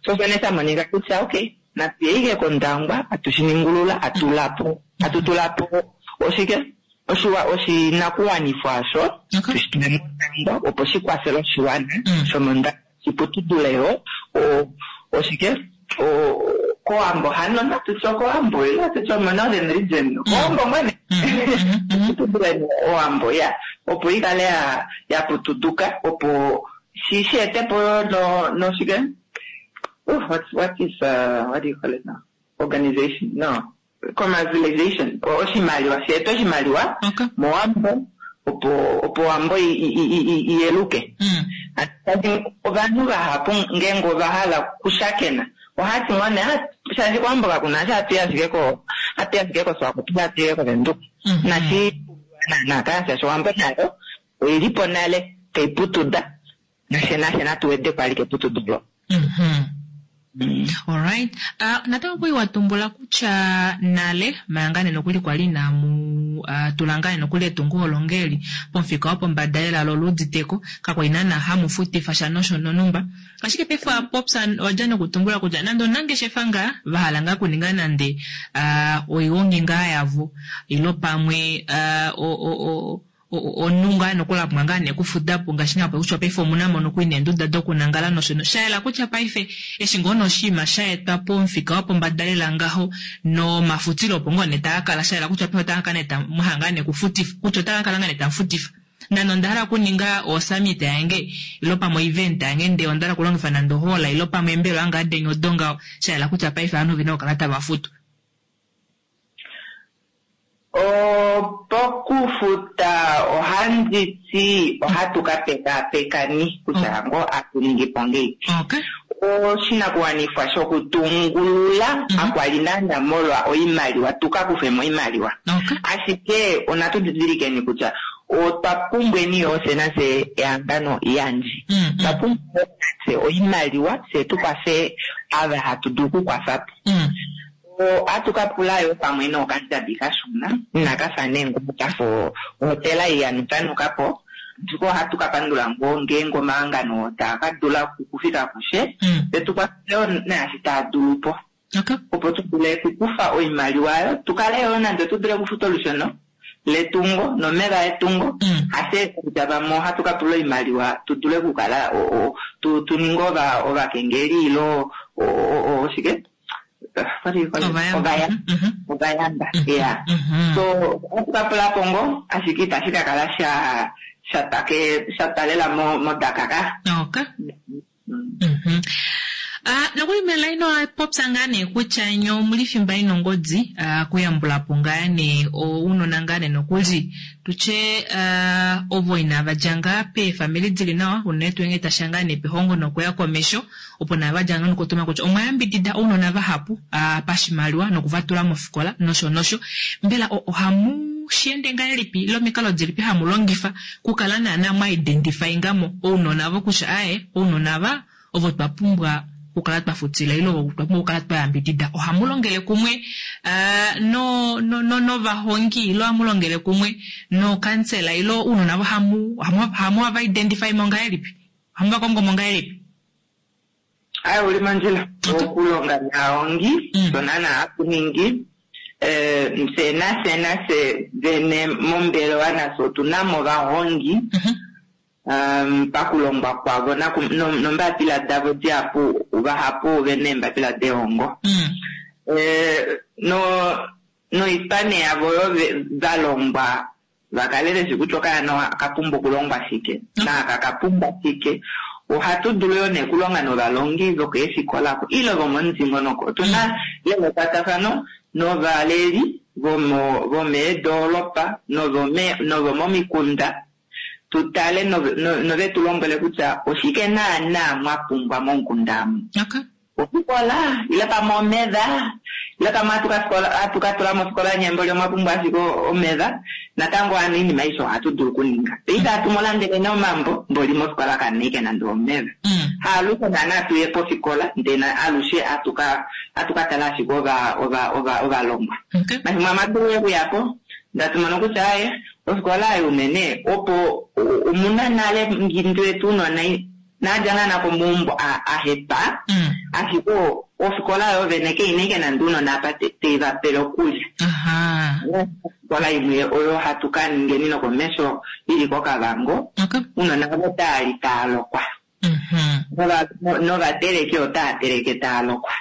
So shone sha monika kutya okay, natuye kOndangwa, atu shi ningulula, atu tulapo oshike oshinakuwanifwa osho, tushi tule mOndangwa opo shi kwafele oshiwana shomOndangwa shiputudule yo oshike kOwambo hano natutye okOwambo ile natutye omoNorthern Region kOwambo mwene putudule Owambo ya opo ikale ya putuduka opo shi etepo noshike what is what do you call it now organization no. Commercialization oshimaliwa sheeta oshimaliwa mOwambo opo opo Owambo i yeluke. Tati ovanhu vahapu ngeenge ova hala okushakena ohati ngoo nee ah shaashi kOwambo kakuna eshi hatu i ashike ko hatu i ashike koSwakopo hatu i kOvenduka. Inashi pumbiwa naana kaa shaashi Owambo nayo oilipo nale tai putuda nafye nafye natu wedeko alike eputudo olo. Alright. Natango okwali wa tumbula kutya nale manga nee nokuli kwali inamu uh, tula ngaa nee nokuli etungo olo ngeli pomufika wopombada lela lo luuditeko kakwali naana hamu futifa sha nosho nonumba. Ashike paife wa popya wa dja nokutumbula kutya nande onangeshefa ngaa va hala ngaa kuninga nande uh, oigongi ngaa yavo ilo pamwe uh, o, o, o, omunhu ngaa nokuli a pumbwa ngaa nee okufuda po ngaashi nee kutya paife omuna mo nokuli neenduda dokunangala nosho no sha yela kutya paife eshi ngoo nee oshinima sha etwa pomufika wopombada lela ngaho nomafutilo opo ngoo nee taa kala sha yela kutya paife otaa kala nee ta mwa hala ngaa nee okufutifa kutya otaa kala ngaa nee tamu futifa nande onda hala okuninga osummit yange ilo pamwe oevent yange ndee onda hala okulongifa nande ohall ilo pamwe eembelewa ngaa deni odo ngaho sha yela kutya paife ovanhu ovena okukala tava futu. Pokufuta ohandi ti ohatu ka pekaapekani kutya ngoo atu ningi po ngeipi. Oshinakuwanifwa shokutungulula hakwali naana molwa oimaliwa tu ka kufe mo oimaliwa, ashike onatu didilikeni kutya otwa pumbweni yoo fye nafye ehangano yandje. Otwa pumbwa yoo nafye oimaliwa fye tu kwafe ava hatu dulu okukwafa po. Ohatu ka pula yoo pamwe nookandjabi kashona, inaka fa nee ngoo kafa ohotela ei ya nukanuka po, ashike ohatu ka pandula ngoo ngeenge omahangano oo taa ka dula okufika kufye, ve tu kwafele yoo naashi taa dulu po, opo tu dule okukufa oimaliwa oyo, tu kale yoo nande tu dule okufuta olusheno letungo nomeva etungo, hafye kutya vamwe ohatu ka pula oimaliwa tu dule okukala tu ninge ovakengeli ile oshike. Ovayamba. Ovayamba, ya. So, ohatu ka pula po ngoo, ashike itashi ka kala sha sha twa ke sha twa lela mo modaka ka. Okay. Ah, nokuli Melaine owa popya ngaa nee kutya nye omuli fimba ina ongodi ah, kuyambula po ngaa nee ounona ngaa nee nokuli tutye ah, ovo inava dja ngaa peefamili dili nawa unene tuu ngee tasha ngaa nee pehongo nokuya komesho opo naava dja nokutuma kutya omwa yambidida ounona vahapu pashimaliwa noku va tula mofikola nosho nosho. Mbela ohamu shi ende ngahelipi ile omikalo dilipi hamu longifa kukala naana mwa identifyinga mo ounona ovo kutya aaye ounona ava ovo twa pumbwa okukala twa futila ile ovo twa pumbwa okukala twa yambidida? Ohamu longele kumwe no no no novahongi ile ohamu longele kumwe nookansela ile ounona ovo hamu hamu va identify mo ngahelipi? Ohamu va kongo mo ngahelipi? Aye, uli mondjila. Okulonga naahongi osho naana hatu ningi. Fye nafye nafye vene mombelewa nafye otu na mo ovahongi pakulongwa kwavo nombapila davo dihapu vahapu ove na eembapila dehongo. Noipane yavo oyo va longwa va kale ve shi kutya okaana oka pumbwa okulongwa shike naaka ka pumbwa shike. Ohatu dulu yoo nee okulonga novalongi vokeefikola oko ile vomomudingonoko. Otu na lela ekwatafano novaleli vomeedoolopa novomomikunda tu tale nove tu lombwele kutya oshike naanaa mwa pumbwa momukunda omu. Ofikola, ile pamwe omeva, ile pamwe hatu ka fikola, hatu ka tula mofikola nyembo li omwa pumbwa ashike omeva. Natango hano oinima aishe ohatu dulu okuninga. Paife hatu mu landele nee omambo, mboli mofikola kamu na ashike nande omeva. Haalushe naana tu ye pofikola, ndele alushe hatu ka, hatu ka tala ashike ova, ova, ova, ovalongwa. Mafimbo amwe ohatu dulu okuya po, ndee hatu mono kutya aaye, ofikola ei unene opo omuna nale ngi ndi wete ounona Nadja naana komaumbo a a hepa, ashike ofikola yo vene keina ashike nande ounona apa tei va pele okulya. Ofikola imwe oyo hatu ka ningeni nokomesho ili kOkavango, ounona avo otaa li taa lokwa. Novateleki otaa teleke taa lokwa.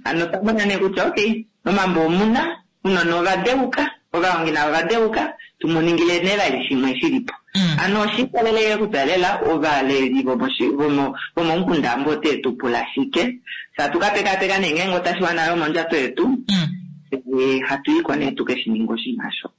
Hano otwa mona nee kutya okay, momambo omuna Ounona ova deuka, ovahongi navo ova deuka, tu mu ningile nee vali shimwe shi li po. Hano osha ikolelele kutya lela ovaleli vomomukunda ambo ote tu pula shike. Fye atu ka pekaapeka nee ngeenge otashi wana yo mondjato yetu. Fye hatu iko nee tu ke shi ninge oshinima sho.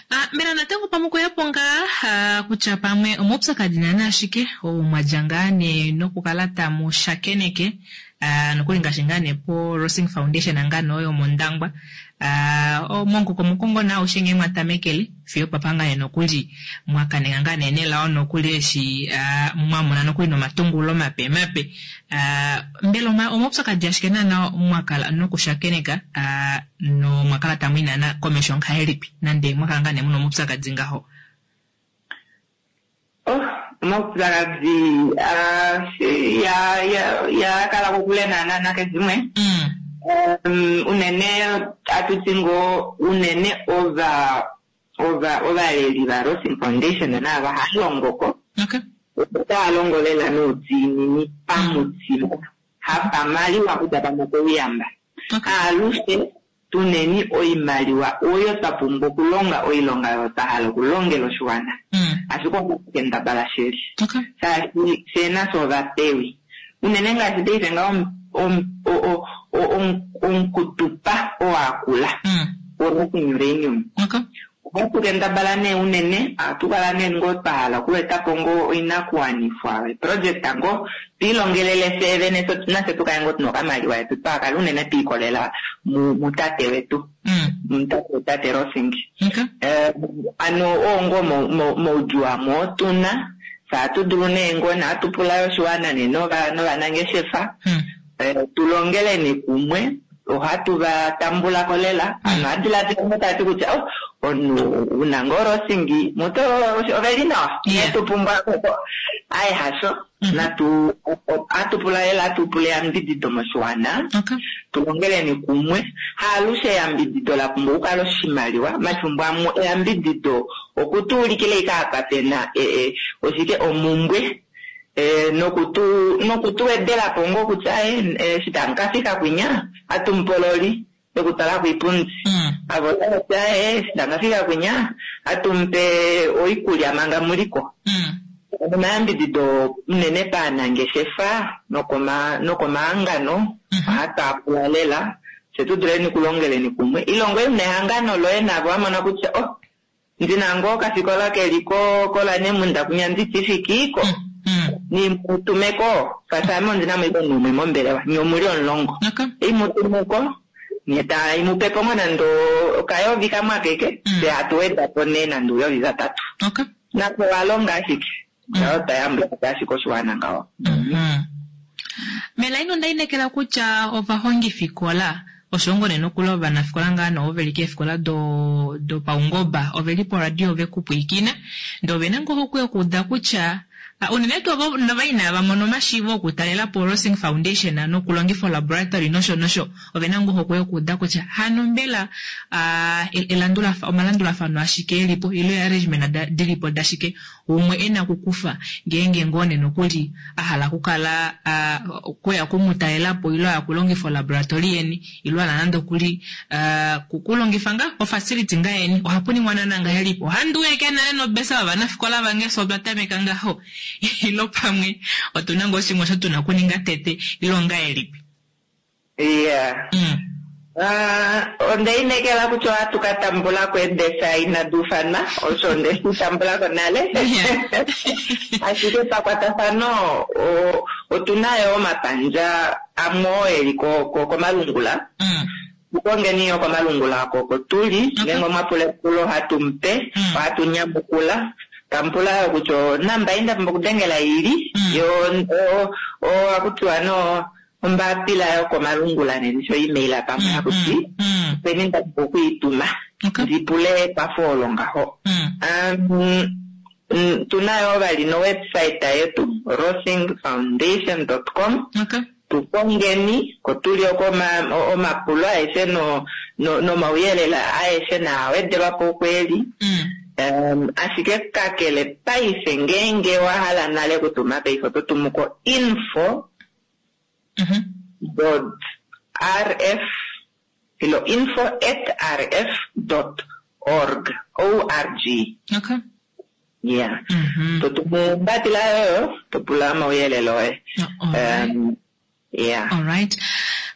Ah, mbela natango pamwe okuya po ngaa ah, kutya pamwe omaupyakadi naana ashike oo mwa dja ngaa nee nokukala tamu shakeneke ah, nokuli ngaashi ngaa nee po Rossing Foundation ngaa nee oyo mOndangwa ah, momukokomoko ngoo naa aushe nghee mwa tamekele fiyo opapa ngaa nee nokuli mwa kanenga ngaa nee nelao nokuli eshi ah, mwa mona nokuli nomatungulo mape mape ah, mbela omaupyakadi ashike naana mwa kala nokushakeneka ah, nomwa kala tamu i naana komesho ngahelipi nande mwa kala ngaa nee muna omaupyakadi ngaho? Oh, omaupyakadi ah, ya ya ya kala kokule naana nakeshimwe. Um, unene atu ti ngoo unene ova ova ovaleli vaRossing Foundation naava hava ko otava longo lela noudiinini pamutima, hapamaliwa kutya pamwe okouyamba. Alushe tuneni oimaliwa oyo twa pumbwa okulonga oilonga oyo twa hala okulongela oshiwana. Ashike ohatu kendabala shili. Shaashi fyee nafye ovapewi. Unene ngaashi paife ngaho omukutupa oo akula woRossing Uranium. Ohatu kendabala nee unene, ohatu kala nee ngoo twa hala okueta po ngoo oinakuwanifwa, eeproject ngoo, twiilongelele fyee vene nafye tukale ngoo tuna okamaliwa etu twahakala unene twiikolela mutate wetu, mutate Rossing. Ano oo ngoo moudjuu amwe oo tuna, fye ohatu dulu nee ngoo ohatu pula yo oshiwana nee novanangeshefa, tulongeleni kumwe, ohatu va tambulako lela. Ano ohadiladila ngoo tati kutya oh, omunhu una ngoo Rossing muto oveli nawa, inatu pumbwa aye hasho. Natu ohatu pula lela hatu pula eyambidido moshiwana, tulongeleni kumwe. Haalushe eyambidido la pumbwa okukala oshimaliwa, omafimbo amwe eyambidido okutuulikila ashike apa pena oshike omumbwe nokutu nokutu wedelapo ngoo kutya eshi tamu ka fika kwinya hatu mupololi yokutwala koipundi. Avo otava ti eshi tamu ka fika kwinya hatu mupe oikulya manga muliko. Omayambidido unene paanangeshefa nokoma nokomahangano ohatu a pula lela fye tu duleni okulongeleni kumwe. Ile ngoye una ehangano loye navo wa mona kutya oh ndina ngoo okafikola keli ko kOlanemunda kwinya nditi ko nimutumeko shaashi ame ondina mo ashike omunhu umwe mombelewa nye omuli omulongo imutumeko nye taimupepo ngoo nande okayovi kamwe akeke fye hatu weda po nee nande ouyovi vatatu. Nafye ovalonga ashike ngaho twayambula po ashike oshiwana ngaho. Melaina onda inekela kutya ovahongifikola osho ngoo nee nokuli ovanafikola ngaa nee ovo veli keefikola dopaungoba oveli poradio ve kupwiikina ndee ovena ngoo ohokwe yokuuda kutya unene tuu ovo nova inava mona omashiivo okutalela po Rossing Foundation nokulongifa olaboratory nosho nosho ovena ngoo ohokwe yokuuda kutya hano mbela omalandulafano ashike elipo ile arrangement dilipo dashike umwe ena okukufa ngeenge ngoo nee nokuli a hala okukala kuya kumutalela po ile aya kulongifa olaboratory yeni ile ala nande okuli kulongifa nga ofacility nga yeni ohapu ningwa naana ngahelipi ohandi uya nale nobesa yovanafikola vange so otwa tameka ngaho ilo pamwe otuna ngoo shimwe osho tuna okuninga tete ilo ngahelipi. Yeah. Onda inekela kutya ohatu ka tambula ko eebesa inadi ufanwa, osho onde shi tambula ko nale. Ashike pakwatafano otuna yo omapandja amwe oo eli komalungula. Tukongeni yo komalungula oko oko tuli, ngeenge omwa pula epulo ohatu mupe, ohatu nyamukula. Tamupula yo kutya onamba ei nda pumbwa okudengela ili, yo ohakutiwa no ombapila yokomalungula neni sho email pamwe hakuti openi nda pumbwa okuituma ndipule ekwafo olo ngaho. Tuna yo vali no website yetu rossingfoundation.com. Tukongeni ko tuli oko omapulo aeshe nomauyelele aeshe naa wedelwapo okweli. Ashike kakele paife ngeenge wa hala nale okutuma paife oto tumu ko info dot rf ilo info at rf dot org org. Yeah. Totumu ombapila yoyo topula omauyelele oye. Yeah. Alright.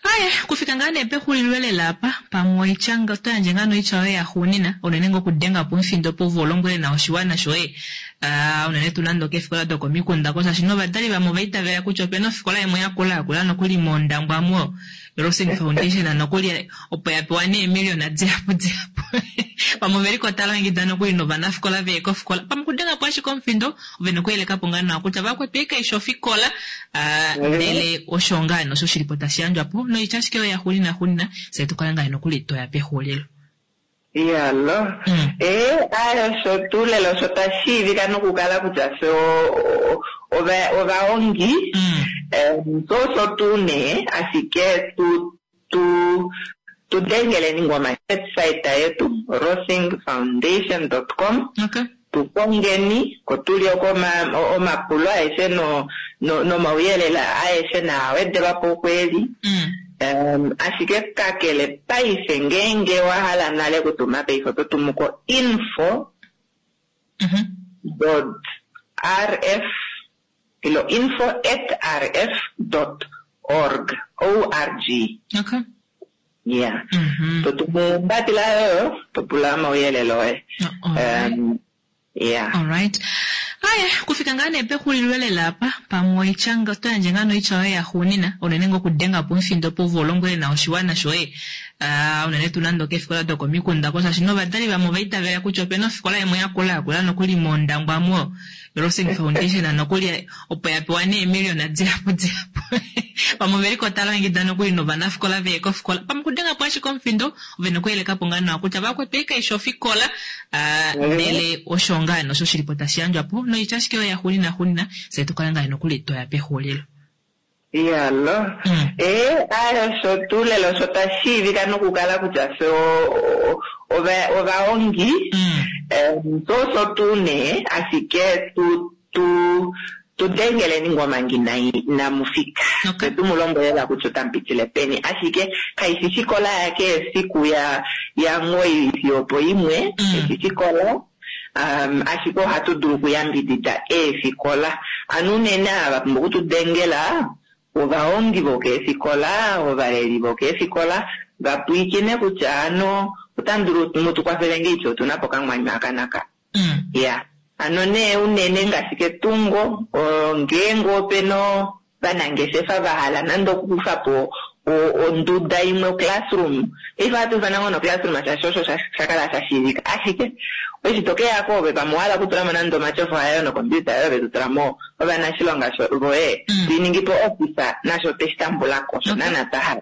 Aye, kufika ngaa nee pexulilo lela apa, pamwe oitya nga oto yandje ngaa noitya yoye yaxuunina, unene ngoo okudenga po omufindo opo ove u lombwele nawa oshiwana shoye, aa unene tuu nande okeefikola dokomikunda oko, shaashi novadali vamwe ova itavela kutya opena ofikola imwe yakula yakula nokuli mOndangwa mo Rossing Foundation nokuli opo ya pewa neemiliona dihapu dihapu. Pamwe ove li ko tava longekida nokuli novanafikola ve ye kofikola. Pamwe okudenga po ashike omufindo, ove na okuyeleka po ngaa nawa kutya vakwetu ei kai fi ofikola, ah, ndele osho ngaa nosho shi li po tashi yandjwa po. Noitya ashike oyo yaxuunina xuunina, fye tu kale ngaa nokuli twa ya pexulilo. Iyalo. Ee, aye osho tuu lela osho twa shiivika nokukala kutya fye ovahongi. So osho tuu nee, ashike tu tu tu dengeleni ngoo website yetu rossingfoundation dot com tu kongeni ko tu li oko omapulo aeshe no nomauyelele aeshe naa wedelwa po okweeli. Ashike kakele paife ngeenge wa hala nale okutuma paife oto tumu ko info dot rf ilo info at rf dot org, O-R-G. Okay. Yeah. To tumu ombapila yoyo, to pula omauyelele oye. Yeah. Alright. Aye, kufika ngaa nee pexulilo lela apa, pamwe oitya nga oto yandje ngaa noitya yoye yaxuunina, unene ngoo okudenga po omufindo opo ove u lombwele nawa oshiwana shoye, aa unene tuu nande okeefikola dokomikunda oko, shaashi novadali vamwe ova itavela kutya opena ofikola imwe yakula yakula nokuli mOndangwa mo Rossing Foundation nokuli opo ya pewa neemiliona dihapu dihapu. Pamwe ove li ko tava longekida nokuli novanafikola ve ye kofikola. Pamwe okudenga po ashike omufindo, ove na okuyeleka po ngaa nawa kutya vakwetu ei kai fi ofikola, ndele osho ngaa nosho shi li po tashi yandjwa po. Noitya ashike oyo yaxuunina xuunina, fye tu kale ngaa nokuli twa ya pexulilo. Iyalo. Ee, aye osho tuu lela osho twa shiivika nokukala kutya fye ovahongi. So osho tuu nee, ashike tu tu tu dengeleni ngoo manga inamu fika. Fye tu mu lombwele lela kutya otamu pitile peni. Ashike kai fi ofikola yakeshe efiku ya ya omuwoi fiyo opoimwe, kai fi ofikola. Ashike ohatu dulu okuyambidida eefikola. Ano unene ava va pumbwa oku tu dengela ovahongi vokeefikola, ovaleli vokeefikola, va pwilikine kutya ano otamu dulu mu tu kwafele ngeipi otu na po okamwanyu aka naka. Iya. Ano nee unene ngaashi ketungo, ngeenge ope na ovanangeshefa va hala nande okukufa po onduda imwe, oclassroom, paife ohatu ifana ngoo noclassroom shaashi osho sha kala sha shiivika, ashike eshi to ke ya ko ove pamwe owa hala okutula mo nande omatyofa ayo nocomputer yoye ove to tula mo ovanashilonga voye, to i ningi po office, nasho otwe shi tambula ko, osho naana twa hala.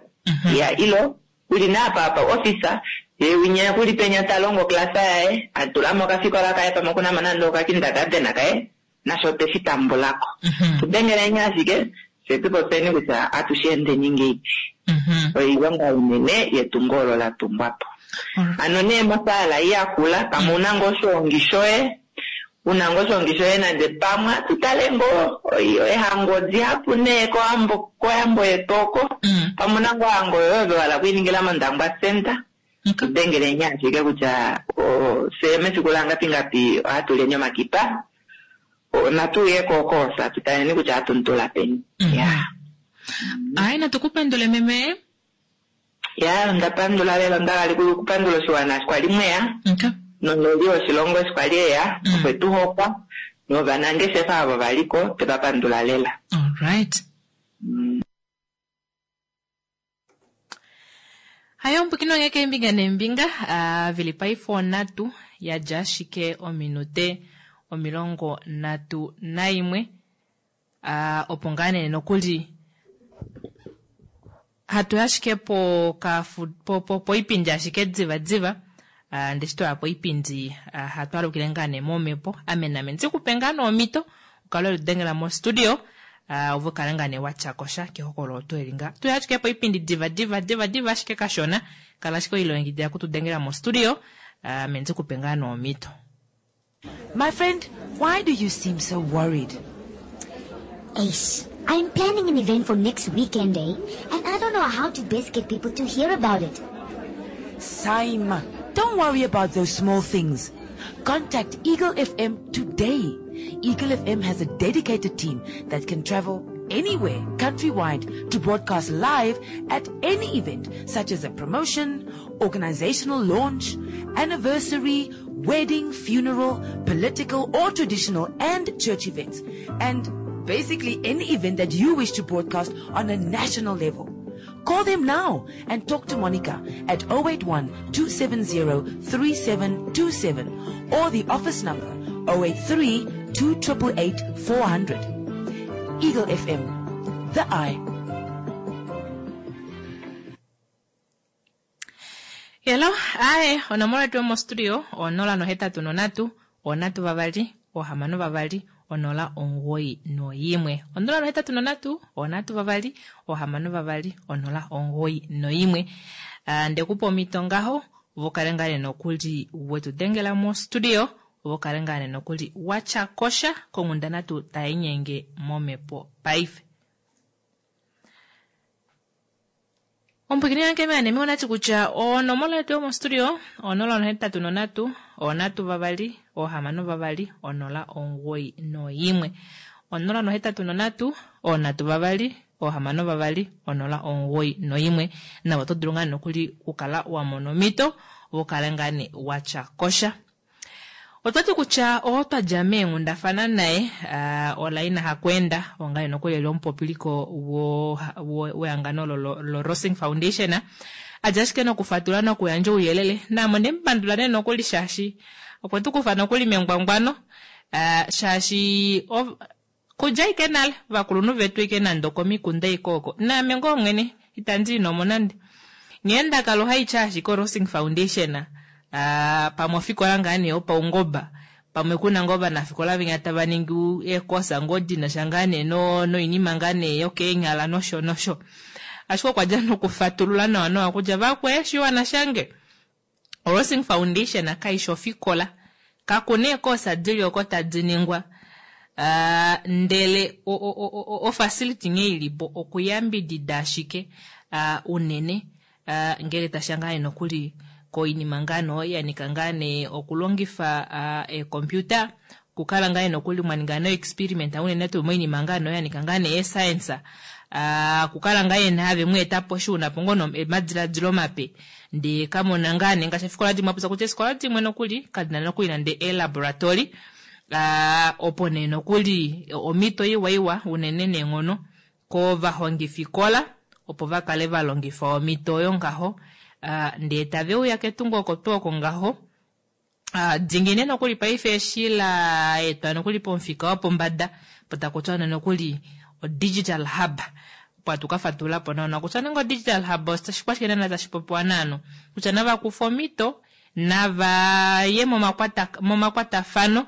Iya, ilo kuli naa apa apa office, ye winya kuli penya ta longo oclass yaye, a tula mo okafikola kaye pamwe okuna mo nande okakindergarten kaye, nasho otwe shi tambula ko. Tu dengeleni ashike, fye tu popyeni kutya ohatu shi endeni ngeipi. Oilonga inene yetungo olo la tungwa po. Hano nee mosaala ei yakula, pamwe u na ngoo oshoongi shoye, u na ngoo oshoongi shoye nande pamwe ohatu tale ngoo eehango dihapu nee kohambo, koyambo yetu oko, pamwe u na ngoo ohango yoye ove wa hala okwiiningila mOndangwa Centre, Tu dengeleni ashike kutya fye mefiku la ngapi ngapi ohatu lyeni omakipa. Natu uye ko koosa tu taleni kutya ohatu mu tula peni. Ya. Aye natu ku pandule meme. Ya, onda pandula lela, onda hala okupandula oshiwana eshi kwali mweya. Okay. Nomuleli woshilongo eshi kwali eya, okwe tu hokwa. Novanangeshefa avo va li ko, twe va pandula lela. All right. Hayo ombwikino onghee keembinga neembinga vili paife onhatu ya dja ashike ominute 31 opo ngaa nee nokuli hatu yi ashike poipindi ashike diva diva ndee eshi twaya poipindi hatu alukile ngaa nee momhepo ame name ndi kupe ngaa nee omhito ukale welidengela mo studio ove ukale ngaa nee watyakosha kehokololo oto eli nga tuya ashike poipindi diva diva diva diva ashike kashona kala ashike oilongekidila kutudengela mo studio ame ndikupe ngaa nee omhito. My friend, why do you seem so worried? Ace, I'm planning an event for next weekend, eh? And I don't know how to best get people to hear about it. Saima, don't worry about those small things. Contact Eagle FM today. Eagle FM has a dedicated team that can travel anywhere countrywide to broadcast live at any event such as a promotion, organizational launch, anniversary, wedding, funeral, political or traditional and church events, and basically any event that you wish to broadcast on a national level. Call them now and talk to Monica at 081 270 3727 or the office number 083 2888 400. Eagle FM, the eye. Hello, ae, onomola yetu yomostudio 083 3 6 2 0 9 1. 083 3 6 2 0 9 1. Ndekupa omhito ngaho vokale ngaa nokuli wetu dengela mostudio vokale ngaa nokuli watya kosha konghundana tuu tainyenge momhepo paife. Omupwiikini wange meanemi onati kutya onomola yetu yomostudio 083 3 6 2 0 9 1. 083 3 6 2 0 9 1. Navo oto dulu ngaa nokuli okukala wa mona omhito vokale ngaa nee watya kosha. Otwati kutya oo twadja meenghundafana naye Olaina Hakweenda ongaye nokuli eli omupopiliko wehangano lo Rossing Foundation adja ashike nokufatula nokuyandja ouyelele naame ondemupandula nee nokuli shaashi okwe tukufa nokuli mengwangwano shaashi kudja ashike nale ovakulunhu vetu ashike nande okomikunda ashike oko naame ngoo mwene itandi inomo nande nghee ndakala ohaitya ashike oRossing Foundation pamwe ofikola ngaa nee yopaungoba pamwe kuna ngoo ovanafikola venya tava ningi eekosa ngoo dinasha ngaa nee noinima ngaa nee yokeenyala nosho nosho. Ashike okwa dja nokufatulula nawa nawa kutya vakwe shiwana shange Rossing Foundation kaishi ofikola kakuna eekosa dili oko tadi ningwa ndele ofacility nghee ilipo okuyambidida ashike unene ngele tasha ngaa nokuli koinima ngaa no yanika ngaa nee okulongifa eecomputer okukala ngaa nokuli mwaninga no experiment unene tuu moinima ngaa no yanika ngaa nee science okukala ngaa naave mweetapo shuunapo ngoo omadiladilo mape ndee kamona ngaa nee ngaashi efikola dimwe apopya kutya eefikola dimwe nokuli kadina nokuli nande elaboratory opo nee nokuli omhito iwa iwa unene neenghono kovahongifikola opo vakale valongifa omhito oyo ngaho ndee taveuya ketungo oko tuu oko ngaho dingine nokuli paife eshi la etwa nokuli pomufika wopombada po takutiwa nokuli o digital hub opo hatu kafatululapo nawa kutya nenge o digital hub oshikwashike naana tashi popiwa naano kutya navakufa omhito navaye momakwatafano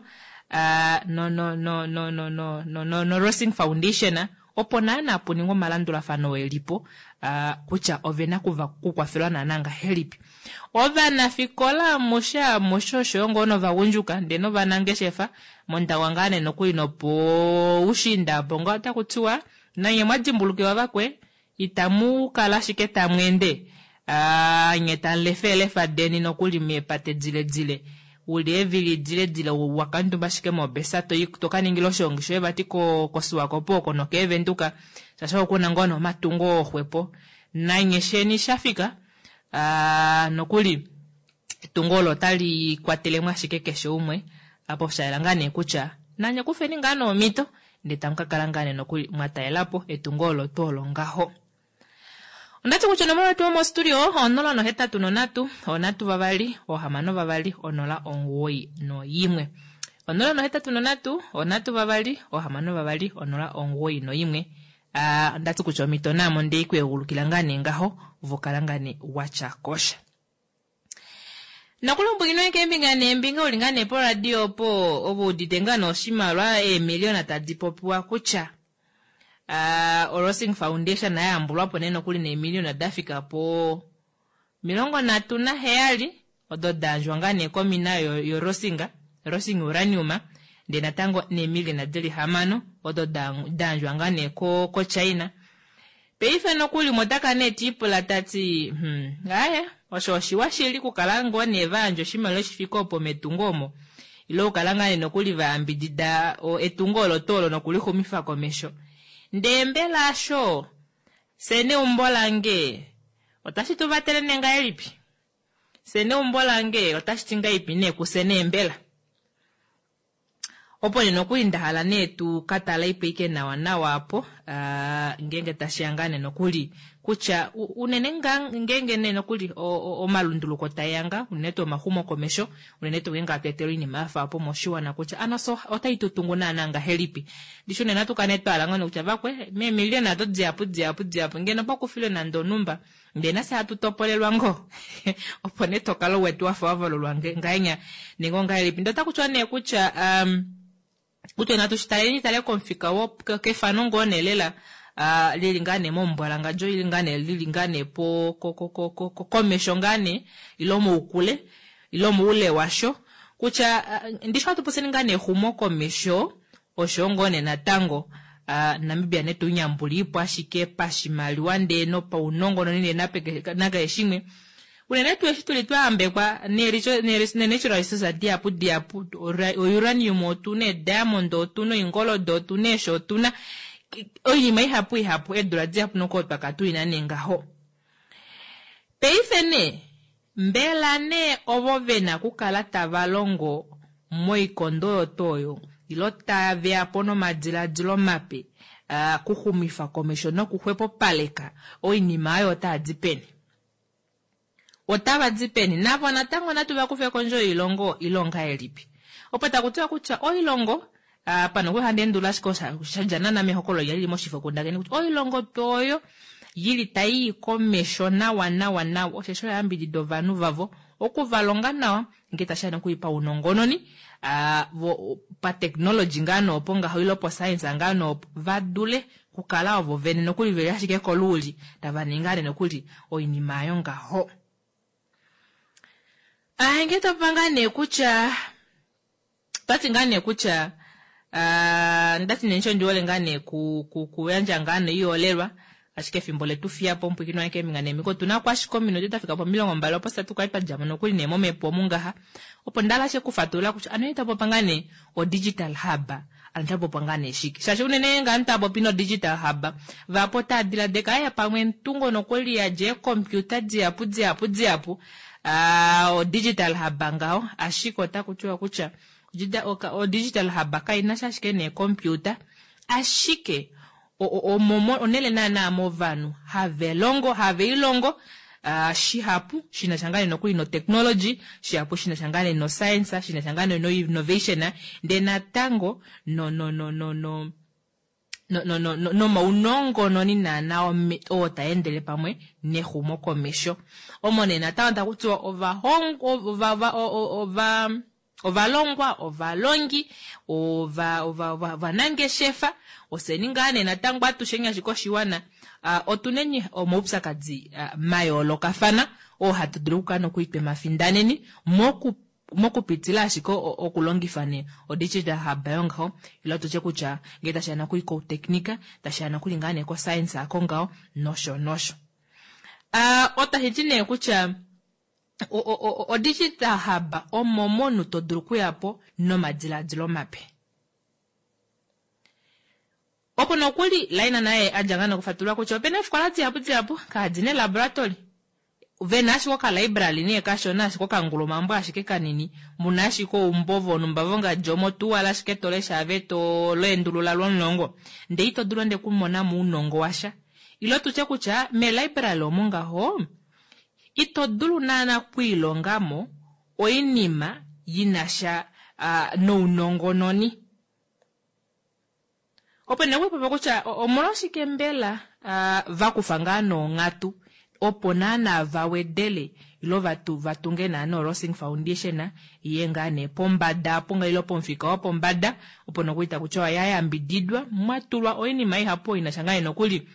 no Rossing Foundation opo naana puningwe omalandulafano elipo kutya ovena kukwafelwa naana ngahelipi. Ovanafikola amushe amushe oshoyo ngoo novagundjuka ndee novanangeshefa mondawa ngaa nee nokuli nopoushiinda apo ngoo otakutiwa nanye mwadimbulukiwa vakwe itamu kala ashike tamweende nye tamulefa eelefa deni nokuli meepate diledile uli eevili diledile wakamutumba ashike mobesa tokaningila oshiongi shoye vati koSwakopo oko nokeevenduka shaashi okuna ngoo nomatungo oxwepo nanye sheni shafika nokuli etungo olo otali kwatelemo ashike keshe umwe apo shayela ngaa nee kutya nanye kufeni ngaa noomhito ndee tamu kakala ngaa nee nokuli mwataelapo etungo olo tuu olo ngaho. Ondati kutya onomola yetu yomostudio 083 3 6 2 0 91. 083 3 6 2 0 91. Ondati kutya omhito naamo ndei kweegulukila ngaa nee ngaho vokala ngaa nee watya kosha. Nokulombwelwa keembinga neembinga uli ngaa nee poradio opo ove udite ngaa noshimaliwa eemiliona tadi popiwa kutya oRossing Foundation yayambulwapo nee nokuli neemiliona dafika po 37 odo dayandjwa ngaa nee komina yoRossing Rossing Uranium ndee natango neemiliona dili 6 odo dayandjwa ngaa nee koChina. Paife nokuli motaka nee tiipula tati aya osho oshiwa shili kukala ngoo nee vayandja oshimaliwa shifike opo metungo omo ile okukala ngaa nee nokuli vayambidida etungo olo tuu olo nokulixumifa komesho. Ndee mbela asho fye neumbo lange otashi tu vatele nee ngahelipi? Fye neumbo lange otashi ti ngahelipi nee kufye nee mbela? Opo nee nokuli nda hala nee tu ka tale ipo ike nawa nawa apo ngeenge tashi ya ngaa nee nokuli kutya unene ngaa ngeenge nee nokuli omalunduluko tae ya ngaa unene tuu omaxumokomesho unene tuu ngeenge hatu etelwa oinima ya fa opo moshiwana kutya ano so otai tu tungu naana ngahelipi. Ndishi unene ohatu kala nee twa hala ngoo nee kutya vakwe meemiliyona ado dihapu dihapu dihapu ngeno pa kufilwe nande onhumba ndee nafye hatu topolelwa ngoo opo nee tokala u wete wafa wa valulwa ngahenya nenge ongahelipi. Ndee otaku tiwa nee kutya um, kutya natu shi taleni tale komufika wo kefano ngoo nee lela uh, lili ngaa nee momumbwalangadjo ili ngaa nee lili ngaa nee po ko, ko, ko, ko, ko, komesho ngaa nee ilo moukule ilo moule washo kutya uh, ndishi ohatu popyeni ngaa nee exumokomesho osho ngoo nee natango uh, Namibia ne tu nyambuliipo ashike pashimaliwa ndee nopaunongononi ndee nakeshe shimwe unene tuu eshi tuli twa yambekwa ne-natural resources dihapu dihapu, o-uranium otuna, ee-diamond otuna, oingoldo otuna, eeshi otuna, oinima ihapu ihapu, eedula dihapu nokoo twaka tuina nee ngaho. Paife nee, mbela nee ovo vena okukala tava longo moikondo oyo tuu oyo, ilo tave ya po nomadiladilo mape kuxumifa komesho nokuxwepopaleka oinima oyo otaa di peni? Otava di peni? Navo natango natu va kufe kondje yoilongo ile ongahelipi? Opo taku tiwa kutya oilongo, apa nokuli ohandi endulula ashike osha sha dja naana mehokololo linya lili moshifokundakeni kutya oilongo tuu oyo yili tai i komesho nawa nawa nawa osheshi oya yambidida ovanhu vavo oku va longa nawa ngee tashi ya nokuli paunongononi, vo patechnology ngaa nee opo ngaho ile poscience ngaa nee opo va dule okukala ovo vene nokuli veli ashike koluuli tava ningi ngaa nee nokuli oinima ayo ngaho. Ah, ngee topopa ngaa nee kutya twati ngaa nee kutya ah, ndati nee ndishi ondi hole ngaa nee ku, ku, kuyandja ngaa nee oiholelwa ashike efimbo letu fiya po omupwiikini wange keembinga neembinga otu na ko ashike ominute da fika pomilongo mbali opo fye tu kale twa dja mo nokuli nee momhepo omu ngaha opo nda hala ashike okufatulula kutya ano ita popa ngaa nee o-digital hub ano ita popa ngaa nee shike shaashi unene ngaa ta popi no-digital hub vahapu otaa diladeka aya pamwe entungo nokuli ya dja eekompiuta dihapu dihapu dihapu ah, o-digital hub ngaho ashike otaku tiwa kutya o-digital hub kai na sha ashike neekompiuta ashike omo onele naanaa movanhu have longo have ilongo uh, shihapu shina sha ngaa nokuli no technology shihapu shina sha ngaa no science shina sha ngaa no innovation ndee natango no no no no no no no no nomaunongononi naanaa oo ta endele pamwe nexumokomesho omo nee natango taku tiwa ovahongwa ova, ova, ova, Ovalongwa, ovalongi, ova, ova, ova, ovanangeshefa, ofyeni ngaa nee natango atusheni ashike oshiwana, uh, otuneni omaupyakadi uh, mayoolokafana oo hatu dulu okukala nokuli twe mafindaneni moku mokupitila ashike okulongifa nee odigital hub yongaho ile tutye kutya ngee tashi ya nokuli kouteknika tashi ya nokuli ngaa nee koscience ako ngaho nosho nosho. Uh, otashi ti nee kutya O-digital hub omo momunhu to dulu okuya po nomadilaadilo mape. Opo nokuli Laina naye a dja ngaa nokufatulula kutya opena eefikola dihapu dihapu kaadi na eelaboratory, ve na ashike okalibrary nee kashona ashike okangulumambo ashike kanini, mu na ashike oumbo vonhumba vongadi omo tuu wala ashike to lesha ove to leendulula lwomulongo ndee ito dulu nande okumona mo ounongo washa. Ile tutye kutya meelibrary omo ngaho Ito dulu naana okwiilonga mo oinima yi na sha nounongononi. Opo nee okwiipopya kutya omolwashike mbela va kufa ngaa noonghatu opo naana va wedele ilo va tunge naana oRossing Foundation iye ngaa nee pombada apo nga ilo pomufika wopombada opo nokuli taku tiwa ya yambididwa mwa tulwa oinima ihapu oyo i na sha ngaa nee nokuli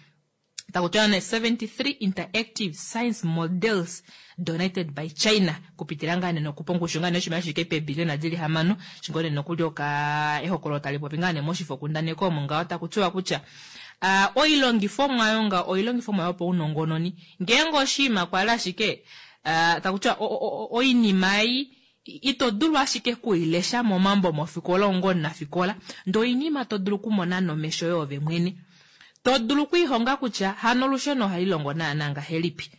taku tiwa nee 73 interactive science models donated by China kupitila ngaa nee nokupa ongushu ngaa nee yoshimaliwa shi fike peebiliona dili hamano shi ngoo nee nokuli oka ehokololo tali popi ngaa nee moshifokundaneki omo ngaho taku tiwa kutya uh, oilongifomwa oyo ngaho oilongifomwa yopaunongononi ngeenge oshiima kwali ashike uh, taku tiwa oinima ei ito dulu ashike kuilesha momambo mofikola ongo omunafikola ndee oinima to dulu okumona nomesho yoove mwene. To dulu okwiihonga kutya hano olusheno ohali longo naana ngahelipi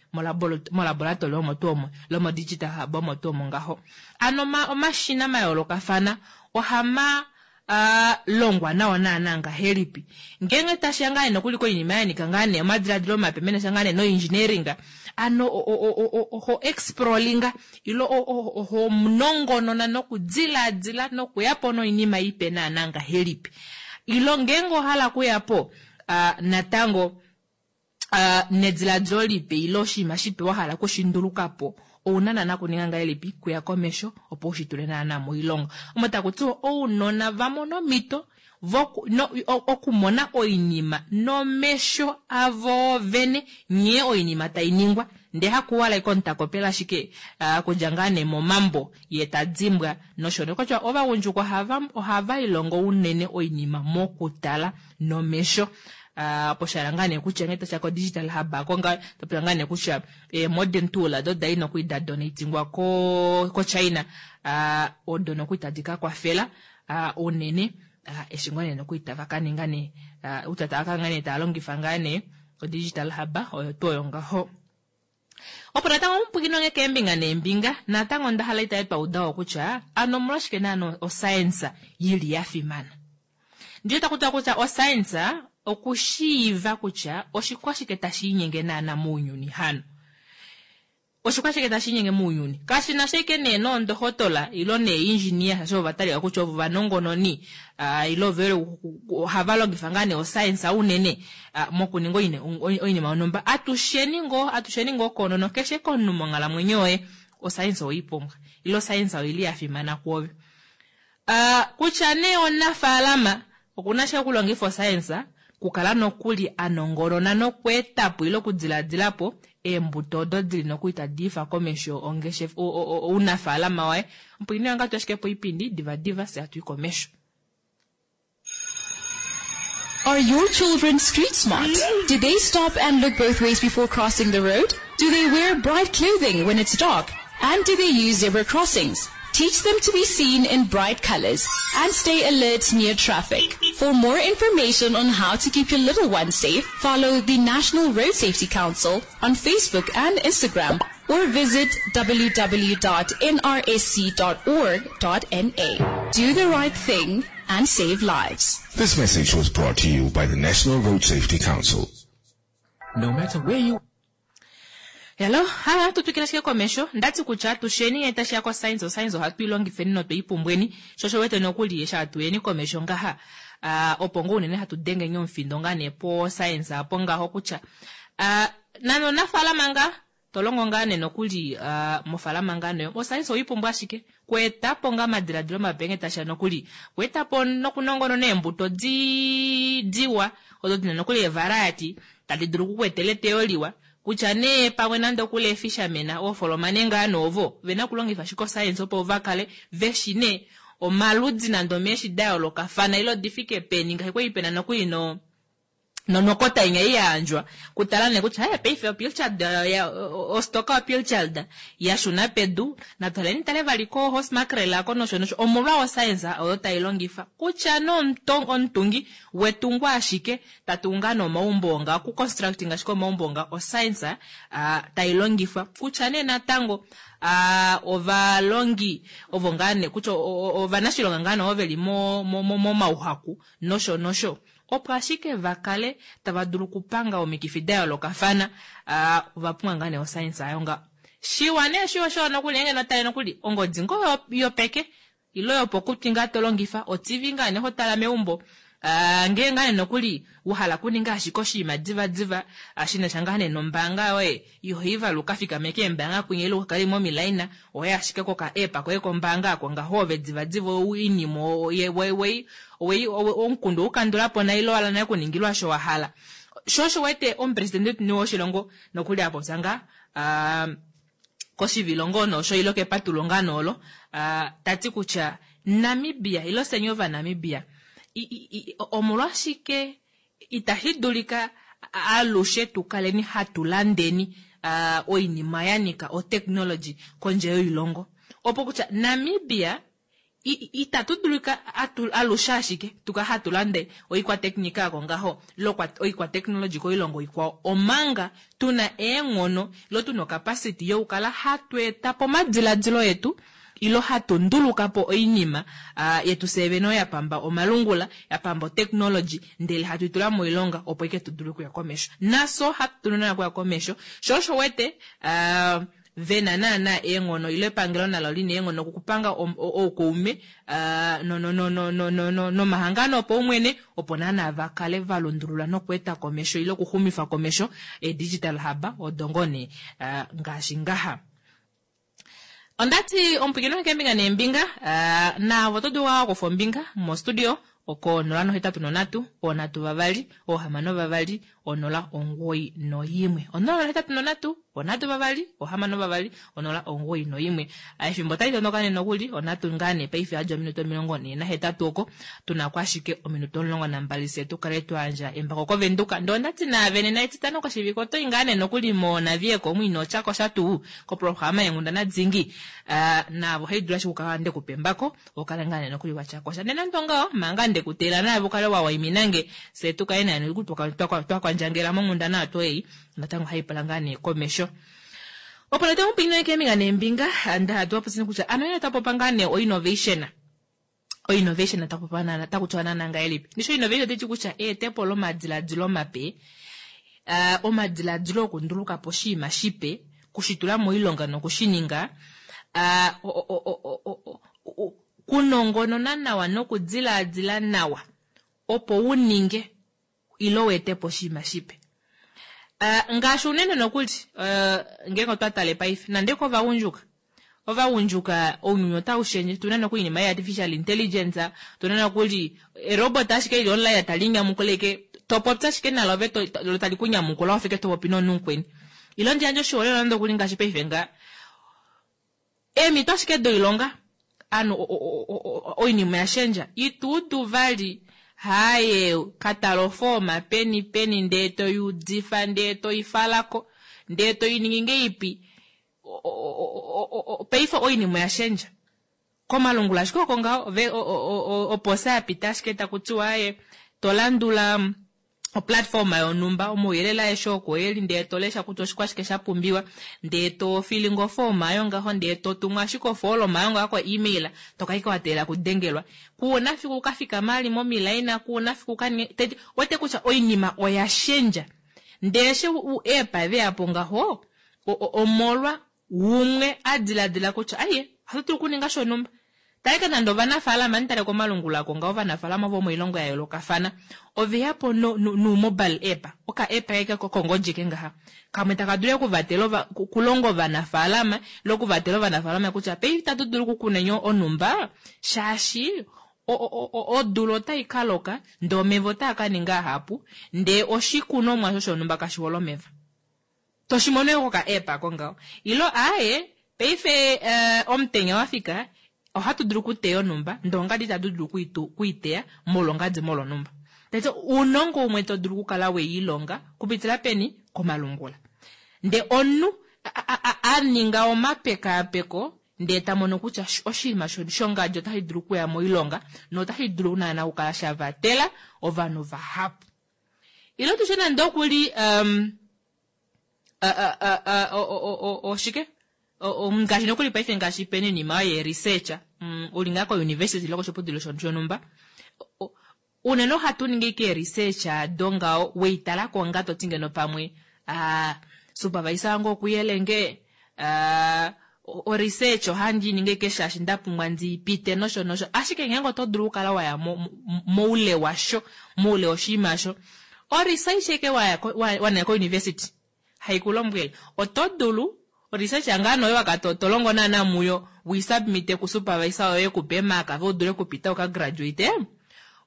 molaboratori omo tuu omo, ile modigital hub omo tuu omo ngaho. Ano omashina mayoolokafana ohama longwa nawa naana ngahelipi. Ngeenge tashiya ngaa nee nokuli koinima ya nyika ngaa nee omadiladilo mape menasha ngaa nee noengineering, ano oho exploringa ile oho nongonona nokudiladila nokuya po noinima ipe naana ngahelipi. Ilo ngeenge owa hala okuya po natango nediladilo lipe ile oshinima shipe wa hala okushinduluka po, ouna naana okuninga ngahelipi kuya komesho opo u shi tule naana moilonga. Omo taku tiwa ounona va mona omhito okumona oinima nomesho avo vene nghee oinima tai ningwa ndee hakuwala ashike omunhu ta kopele ashike okudja ngaa nee momambo ye ta dimbwa nosho nee kutya ovagundjuka ohava ilongo unene oinima mokutala nomesho. Poshala ngaa nee kutya nghee tashiya ko digital hub ako ngaa topula ngaa nee kutya modern tool odo dali nokuli da donatingwa ko China odo nokuli tadi ka kwafela unene eshi ngoo nee nokuli tava ka ninga nee kutya tava ka ngaa nee tava longifa ngaa nee o digital hub oyo tuu oyo ngaho. Opo natango omupwikinwa nge keembinga neembinga, natango onda hala itave twa uda wo kutya ano omolwashike naana oscience yili ya fimana. Ndiye taku tiwa kutya oscience okushiiva kutya oshikwashike tashi inyenge naana mounyuni hano. Oshikwashike tashi inyenge mounyuni? Kashi na sha ashike nee noondohotola ilo neeindjinia shaashi ovo va talika kutya ovo ovanongononi ile ovo ohava longifa ngaa nee oscience unene mokuninga oinima yonhumba. Atusheni ngoo, atusheni ngoo koonono keshe komunhu monghalamwenyo yoye oscience owei pumbwa ile oscience oili ya fimana kwoove. Kutya nee omunafaalama okuna ashike okulongifa oscience, okukala nokuli a nongonona nokweetapo ile okudiladila po eembuto odo dili nokuli tadi ifa komesho ongeshefa ounafaalama waye. Opo ine ngatu ashike poipindi divadiva fye hatu i komesho. Are your children street smart? Do they stop and look both ways before crossing the road? Do they wear bright clothing when it's dark? And do they use zebra crossings? Teach them to be seen in bright colors and stay alert near traffic. For more information on how to keep your little ones safe, follow the National Road Safety Council on Facebook and Instagram or visit www.nrsc.org.na. Do the right thing and save lives. This message was brought to you by the National Road Safety Council. No matter where you Hello, ha tu twikile ashike komesho. Ndati kutya atusheni ngee tashi ya koscience, oscience ohatu i longifeni notwe i pumbweni. Sho osho wete nokuli eshi hatu yeni komesho ngaha, opo ngoo unene hatu dengeni omufindo ngaa nee po science apo ngaho kutya, nande omunafaalama ngaa, To longo ngaa nee nokuli mofaalama ngaa nee, oscience owei pumbwa ashike. Kweeta po ngaa omadiladilo mape nghee tashiya nokuli. Kweeta po nokunongonona eembuto di, diwa, odo dina nokuli eevariety tadi dulu oku ku etela eteyo liwa. Kutya nee pamwe nande okuli eefisherman, oofolomane ngaa nee ovo, vena okulongifa ashike oscience opo va kale veshi nee omaludi nande omeeshi da yoolokafana ile odi fike peni, ngaashi kwali pena nokuli no, nonokota inya ei ya yandjwa kutala nee kutya hey, paife opilchard ostoka yopilchard ya shuna pedu natwaleni tale vali ko horse mackerel ako nosho nosho omolwa oscience oyo tai longifa kutya nomutungi wetungo ashike ta tungu ngaa nomaumbo nga ku constructing ashike omaumbo nga oscience tai longifwa kutya nee natango ovalongi ovo ngaa nee kutya ovanashilonga ngaa nee ovo veli momauhaku nosho nosho Opo ashike va kale tava dulu okupanga omikifi da yoolokafana, ova pumbwa ngaa nee oscience ayo nga. Shiwa nee shiwa osho nokuli ngeenge notale nokuli ongodi ngoo yopeke ile yopokutwi ngaa to longifa, oTV ngaa nee ho tala meumbo, ngee ngaa nee nokuli wa hala okuninga ashike oshinima divadiva shi na sha ngaa nee nombaanga yoye, iho i vali u ka fikame keembaanga kwinya ile u ka kale momilaina, oho i ashike koka app koye kombaanga ako ngaho ove divadiva oinima owei omukundu oweu kandula po nai ile owala nai okuningilwa osho wa hala. Sho osho wete omupresidente wetu woshilongo nokuli a popya ngaa koshivilo ngoo nosho ile kepatulo ngaa noolo ta ti kutya Namibia ile fyeni Ovanamibia omolwashike itashi dulika alushe tu kaleni hatu landeni oinima ya nyika otechnology kondje yoilongo opo kutya Namibia. Itatu dulika alushe ashike tuka hatu lande oikwateknika oko ngaho ile oikwateknology koilongo ikwao omanga tuna eenghono ile tuna ocapacity yokukala hatu eta po omadiladilo etu ile hatu nduluka po oinima yetu fyee vene oyo ya pamba omalungula, ya pamba otechnology ndele hatu itula moilonga opo ike tu dule okuya komesho. Nafye ohatu dulu naana okuya komesho sho osho wete vena naana eenghono ile epangelo nalo lina eenghono okupanga oukaume nomahangano opaumwene opo naana va kale va lundulula nokweeta komesho ile okuxumifa komesho ee-digital hub odo ngoo nee ngaashi ngaha. Ondati omupwilikini wange keembinga neembinga, naave oto dulu okukufa ombinga mostudio oko 083 3 6 2 091. 083 3 6 2 091. Efimbo otali tondoka nee nokuli, onhatu ngaa nee paife yadja ominute 48 oko, tuna ko ashike ominute 12 fye tu kale twa yandja embako kOvenduka. Ndee ondati naave nena Etitano koshivike oto i ngaa nee nokuli moNavieko omu ino tya ko sha tuu koprograma yeenghundana dingi. Naave ohai dulu ashike okukala nde ku pa embako okale ngaa nee nokuli wa tya kosha. Ndele nande ongaho, manga nde ku teelela naave u kale wa waimina nge, fye tu kale nee nokuli twa kwandjangela monghundana oyo tuu ei, natango ohai pula ngaa nee komesho. Opo nee tamu keembinga neembinga, nda tu popye kutya ano ino tapopa ngaa nee oinnovation. Oinnovation tapopa naana, taku tiwa naana ngahelipi? Ndishi oinnovation otayi ti kutya eetepo lomadiladilo mape, omadiladilo okunduluka po oshinima shipe, okushitula moilonga nokushininga, kunongonona nawa nokudilaadila nawa opo u ninge ile u ete po oshinima shipe. Ngaashi unene nokuli ngeenge otwa tale paife nande kovagundjuka, ovagundjuka ounyuni otau shendje, tuna nokuli oinima ye artificial intelligence, tuna nokuli erobot ashike lili online tali nyamukula ashike to popi ashike nalo ove lo tali ku nyamukula wafa ashike to popi nomunhu mukweni. Ile ndi yandje oshiholelwa nande okuli ngaashi paife nga Eemhito ashike doilonga, ovanhu oinima oya shendja. Ito udu vali haaye ka tala ofooma peni peni ndee to i udifa ndee to i fala ko ndee to i ningi ngeipi. Paife oinima oya shendja. Komalungula ashike oko ngaho oposa ya pita ashike taku tiwa aaye to landula oplatforma yonhumba, omauyelele aeshe oko e li ndee to lesha kutya oshikwashike sha pumbiwa, ndee to filinga ofooma oyo ngaho ndee to tumu ashike ofooloma oyo ngaho ko-email, to kala ashike wa teelela okudengelwa. Ku na fiku u ka fikame ali momilaina, ku na fiku u ka ninge, teti, wete kutya oinima oya shendja. Ndee eshi eepa ve ya po ngaho, omolwa Umwe a diladila kutya, Aiye, ohatu dulu okuninga shonhumba. Tala ashike nande ovanafaalama, ohandi tale komalungula ako ngaho, ovanafaalama vomoilongo ya yoolokafana ove ya po noumobile app, oka-app eke kokongodi eke ngaha, kamwe taka dulu okuvatela ova, okulonga ovanafaalama, ile okuvatela ovanafaalama kutya paife itatu dulu okukuna enyo onhumba, shaashi odula otai ka loka, ndee omeva otaa ka ninga ahapu, ndee oshikunomwa osho shonhumba kashi hole omeva. To shi mono yo koka app ako ngaho. Ilo aaye, paife omutenya wa fika, ohatu dulu okuteya onhumba, ndee ongadi itatu dulu okuiteya molwa ongadi molwa onhumba. Tati ounongo umwe to dulu okukala we ilonga kupitila peni? Komalungula. Ndee omunhu a ninga omapekaapeko ndee ta mono kutya oshinima shongadi otashi dulu okuya moilonga notashi dulu naana okukala sha vatela ovanhu vahapu. Ile tushe nande oku li um, oshike ngaashi nokuli paife ngaashi pena oinima oyo ye-research um, uli ngaa ko-university ile koshiputudilo shonhumba unene ohatu ningi ike research ado ngaho weitala ko nga to ti ngeno pamwe uh, supervisor wange okuyele nge uh, o-research ohandi i ningi ike shaashi nda pumbwa ndi i pite nosho nosho. Ashike ngeenge oto dulu okukala wa ya moule washo, moule woshinima osho, o-research eke wa wa naya ko-university hai ku lombwele, oto dulu o-research ngaa nee oyo wa kala to longo naana muyo, wi submite ku supervisor yoye eku pe eemark ove u dule okupita u ka graduate,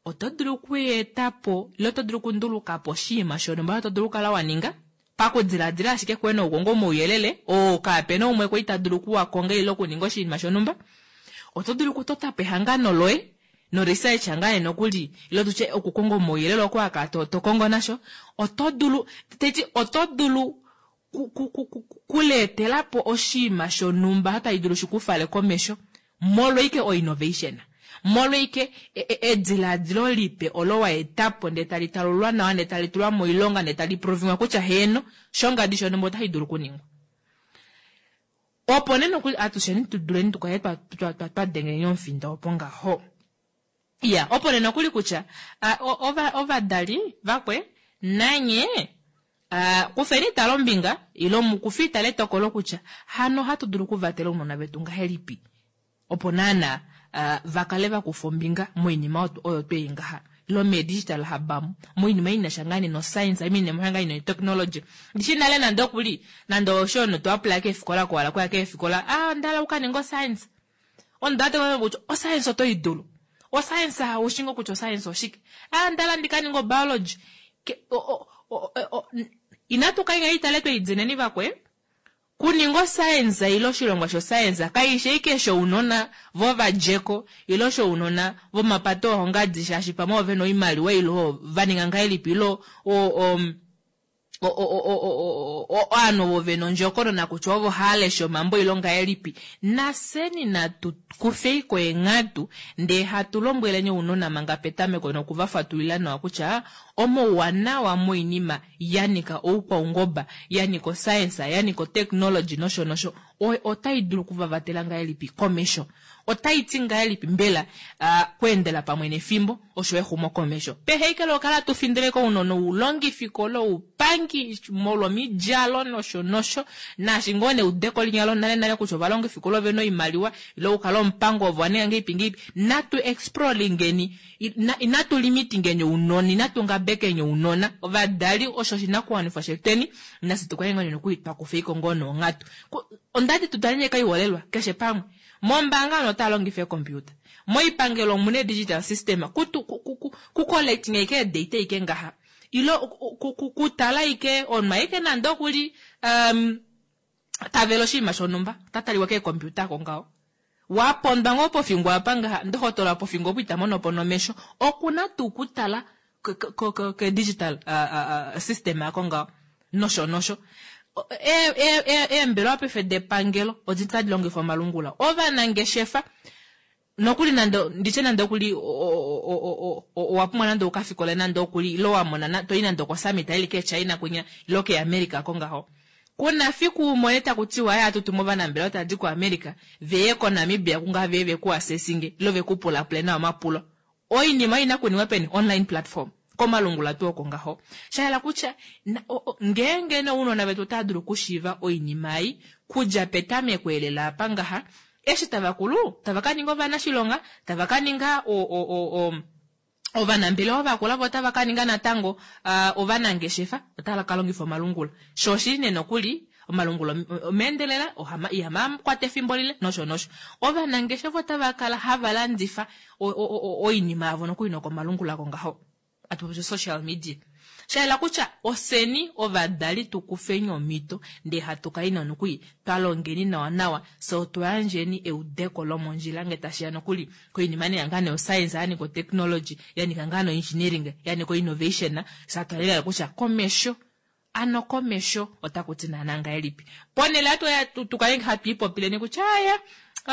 oto dulu okueta po ile oto dulu okunduluka po oshinima shonhumba osho to dulu okukala wa ninga. Pakudiladila ashike koye nokukonga omauyelele oo kaape na umwe kwali ta dulu oku a konga ile okuninga oshinima shonhumba, oto dulu okutota po ehangano loye noresearch ngaa nee nokuli ile tutye okukonga omauyelele oko wa kala to, to kongo nasho. Oto dulu, tai ti oto dulu ku, ku, ku, ku, kuleetela po oshinima shonhumba tashi dulu shi ku fale komesho molwa ike oinnovation. Molweike edilaadilo lipe olo wa eta po ndee tali talulwa nawa ndee tali tulwa moilonga ndee tali proviwa kutya heeno shongadi shonhumba otashi dulu okuningwa. Opo nee nokuli atusheni tu duleni tu kale twa dengeleni omufinda opo ngaho. Iya, opo nee nokuli kutya ovadali vakwe nanye kufeni itala ombinga ile mukufe itala etokolo kutya hano ohatu dulu okuvatela ounona vetu ngahelipi opo naana va kale va kufa ombinga moinima oyo twei ngaha ile meedigital hub omu moinima i na sha ngaa nee noscience moinima ngaa nee notechnology. Ndishi nale nande okuli nande osho omunhu to apply keefikola koala kuya keefikola ah onda hala okukaninga oscience. Onda teka kutya oscience oto i dulu. Oscience oushi ngoo kutya oscience oshike. Ah onda hala ndi ka ninge obiology. Inatu ka itale tweidineni vakwe. Kuninga oscience ile oshilongwa shoscience kaishi ashike shounona vovadjeko ile shounona vomapata oohongadi shaashi pamwe ove na oimaliwa ile va ninga ngahelipi ile ovanhu ovo ve na ondjokonona kutya ovo hava lesha omambo ile ongahelipi. Nafyeni natu kufeiko eenghatu ndee hatu lombweleni ounona manga petameko noku va fatulila nawa kutya omauwanawa moinima ya nyika oukwaungoba, ya nyika oscience, ya nyika otechnology nosho nosho otai dulu okuvavatela ngahelipi komesho. Otai ti ngahelipi mbela kweendela pamwe nefimbo osho exumokomesho. Pehe ike lokukala hatu findile kounona oulongifikola, oupangi molwomidjalo nosho nosho, naashi ngoo neudeko linya lonale nale kutya ovalongifikola ove na oimaliwa ile okukala omupango ovo wa ninga ngeipi ngeipi. Natu exploringeni, inatu limitingeni ounona, inatu ngabekeni ounona. Ovadali osho oshinakuwanifwa shetweni, nafye tukale ngoo nokuli twa kufeiko ngoo nonghatu. Ondati tu taleni kaiholelwa keshe pamwe. Mombaanga ovanhu otava longifa eekompiuta. Moipangelo omuna digital system ku collecting ike eedata ike ngaha. Ile kutala ike omunhu aike nande okuli tavela oshinima shonhumba ota taliwa keekompiuta ako ngaho. Wapondwa ngoo pofingo apa ngaha ndohotola pofingo opo ita mono po nomesho okuna tuu kutala ke digital system ako ngaho nosho nosho. Eembelewa paife depangelo odi tadi longifa omalungula. Ovanangeshefa nokuli nande nditye nande okuli owa pumbwa nande ukafikole nande okuli ile wa mona toyi nande okosummit ili keChina kwinya ile keAmerica ko ngaho. Kuna fiku umone taku tiwa aya hatu tumu ovanambelewa tadi kuAmerica veye koNamibia kungaha veye veku assessinge ile veku pulapule nawa omapulo. Oinima ina kuningwa peni online platform komalungula tuu oko ngaho. Shahala kutya ngeenge nounona vetu otava dulu okushiiva oinima ei kudja petameko elela apa ngaha eshi tava kulu tava ka ninga ovanashilonga tava ka ninga ovanambelewa vakula vo otava ka ninga natango ovanangeshefa otava ka longifa omalungula. Sho oshili nee nokuli omalungula omeendelela ihama kwata efimbo lile nosho nosho. Ovanangeshefa otava kala hava landifa oinima yavo nokuli nokomalungula ko ngaho. Atu social media. Shaela kutya oseni ovadali tu kufeni omhito ndee hatu kai nokuli twa longeni nawa nawa fye otwa yandjeni eudeko lomondjila nge tashiya nokuli koinima nee ngaa nee ya nyika otechnology ya nyika ngaa no-engineering ya nyika o-innovation fye atwa lela kutya komesho ano komesho otaku ti naana ngahelipi. Ponhele hatu tukale hatu ipopileni kutya aya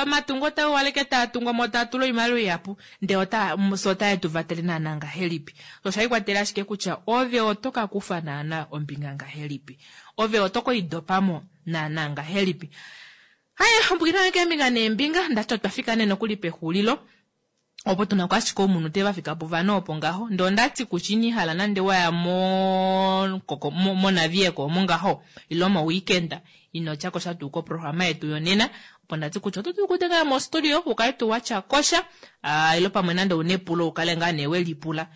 omatungo taa waleke taa tungwa mo taa tula oimaliwa ihapu ndee fye otae tu vatele naana ngahelipi. Osha ikwatela ashike kutya ove oto ka kufa naana ombinga ngahelipi. Ove oto koidopamo naana ngahelipi. Haya, ombukina keembinga neembinga ndati otwa fika nee nokuli pexulilo. Opo tuna ko ashike omunhu te vafika povanhu opo ngaho. Ndee ondati kutya ino hala nande waya monavieko omo ngaho ile moweekend ino tya kosha tuu koprograma yetu yonena. Opo ndati kutya oto dulu okudengela mostudio ukale tuu watya kosha ile pamwe nande una epulo ukale ngaa nee welipula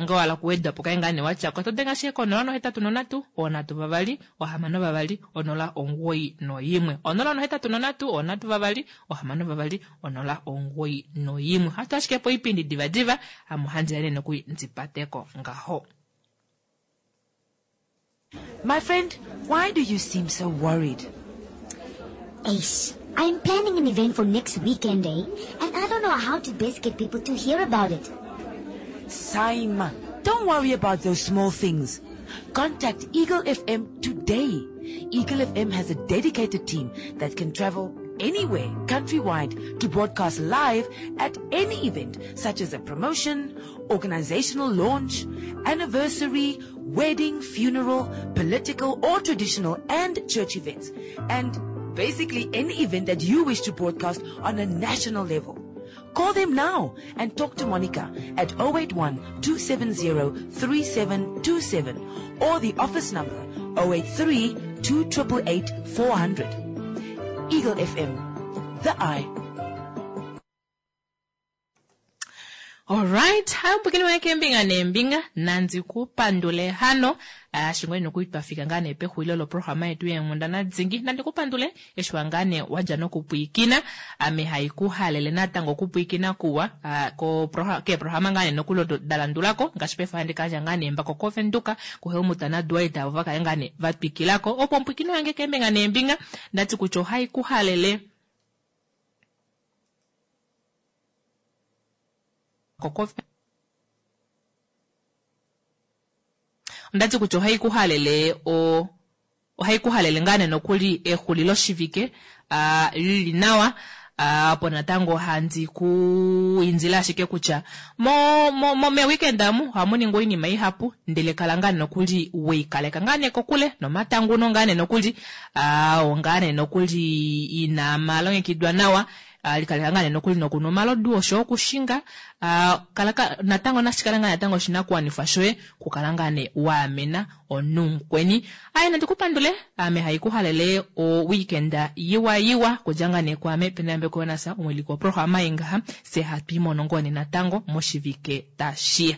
nge wahala okuweda po kale ngaa nee watya ko. Oto denge ashike ko 083 326 0 91 083 6 0 91. Hatu ashike po oipindi divadiva ame ohandi ya nee nokuli ndipateko ngaho. My friend, why do you seem so worried? Ace, I'm planning an event for next weekend, eh? And I don't know how to best get people to hear about it. Saima, don't worry about those small things. Contact Eagle FM today. Eagle FM has a dedicated team that can travel anywhere countrywide to broadcast live at any event such as a promotion, organizational launch, anniversary, wedding, funeral, political or traditional and church events, and basically any event that you wish to broadcast on a national level. Call them now and talk to Monica at 081 270 3727 or the office number 083 2888 400. Eagle FM, the eye. Alright, hambukeni waye kembinga nembinga nandi kupandule hano shingwe noku twafika ngaa nee pexulilo loprograma yetu yeenghundana dingi. Nandi kupandule eshi wa ngaa nee wadja nokupwiikina, ame haikuhalele natango okupwiikina kuwa keeprograma ngaa nee nokuli odo da landulako ngaashi paife ohandi kayandja ngaa nee embako koVenduka kuHelmut naDwight avo vakale ngaa nee vatwikilako. Opo ompwiikino yange keembinga neembinga ndati kutya ohaikuhalele ondati kutya ohaikuhalele o ohaikuhalele ngaa nee nokuli exuliloshivike lili nawa. Opo natango handi ku indile ashike kutya mo mo meweekend amu ohamu ningwa oinima ihapu ndele kala ngaa nee nokuli weikaleka ngaa nee kokule nomatanguno ngaa nee nokuli oo ngaa nee nokuli ina malongekidwa nawa. Likaleka ngaa nee nokuli nokunwa omalodu oshoyo okushinga. Kala natango nashikala ngaa natango oshinakuwanifwa shoye kukala ngaa nee waamena omunhu mukweni. Aye nandi kupandule ame haikuhalele o weekend yiwa yiwa kudja ngaa nee kwaame Peneyambeko Jonas omuwiliki woprograma ei ngaha fye hatu imono ngoo nee natango moshivike tashiya.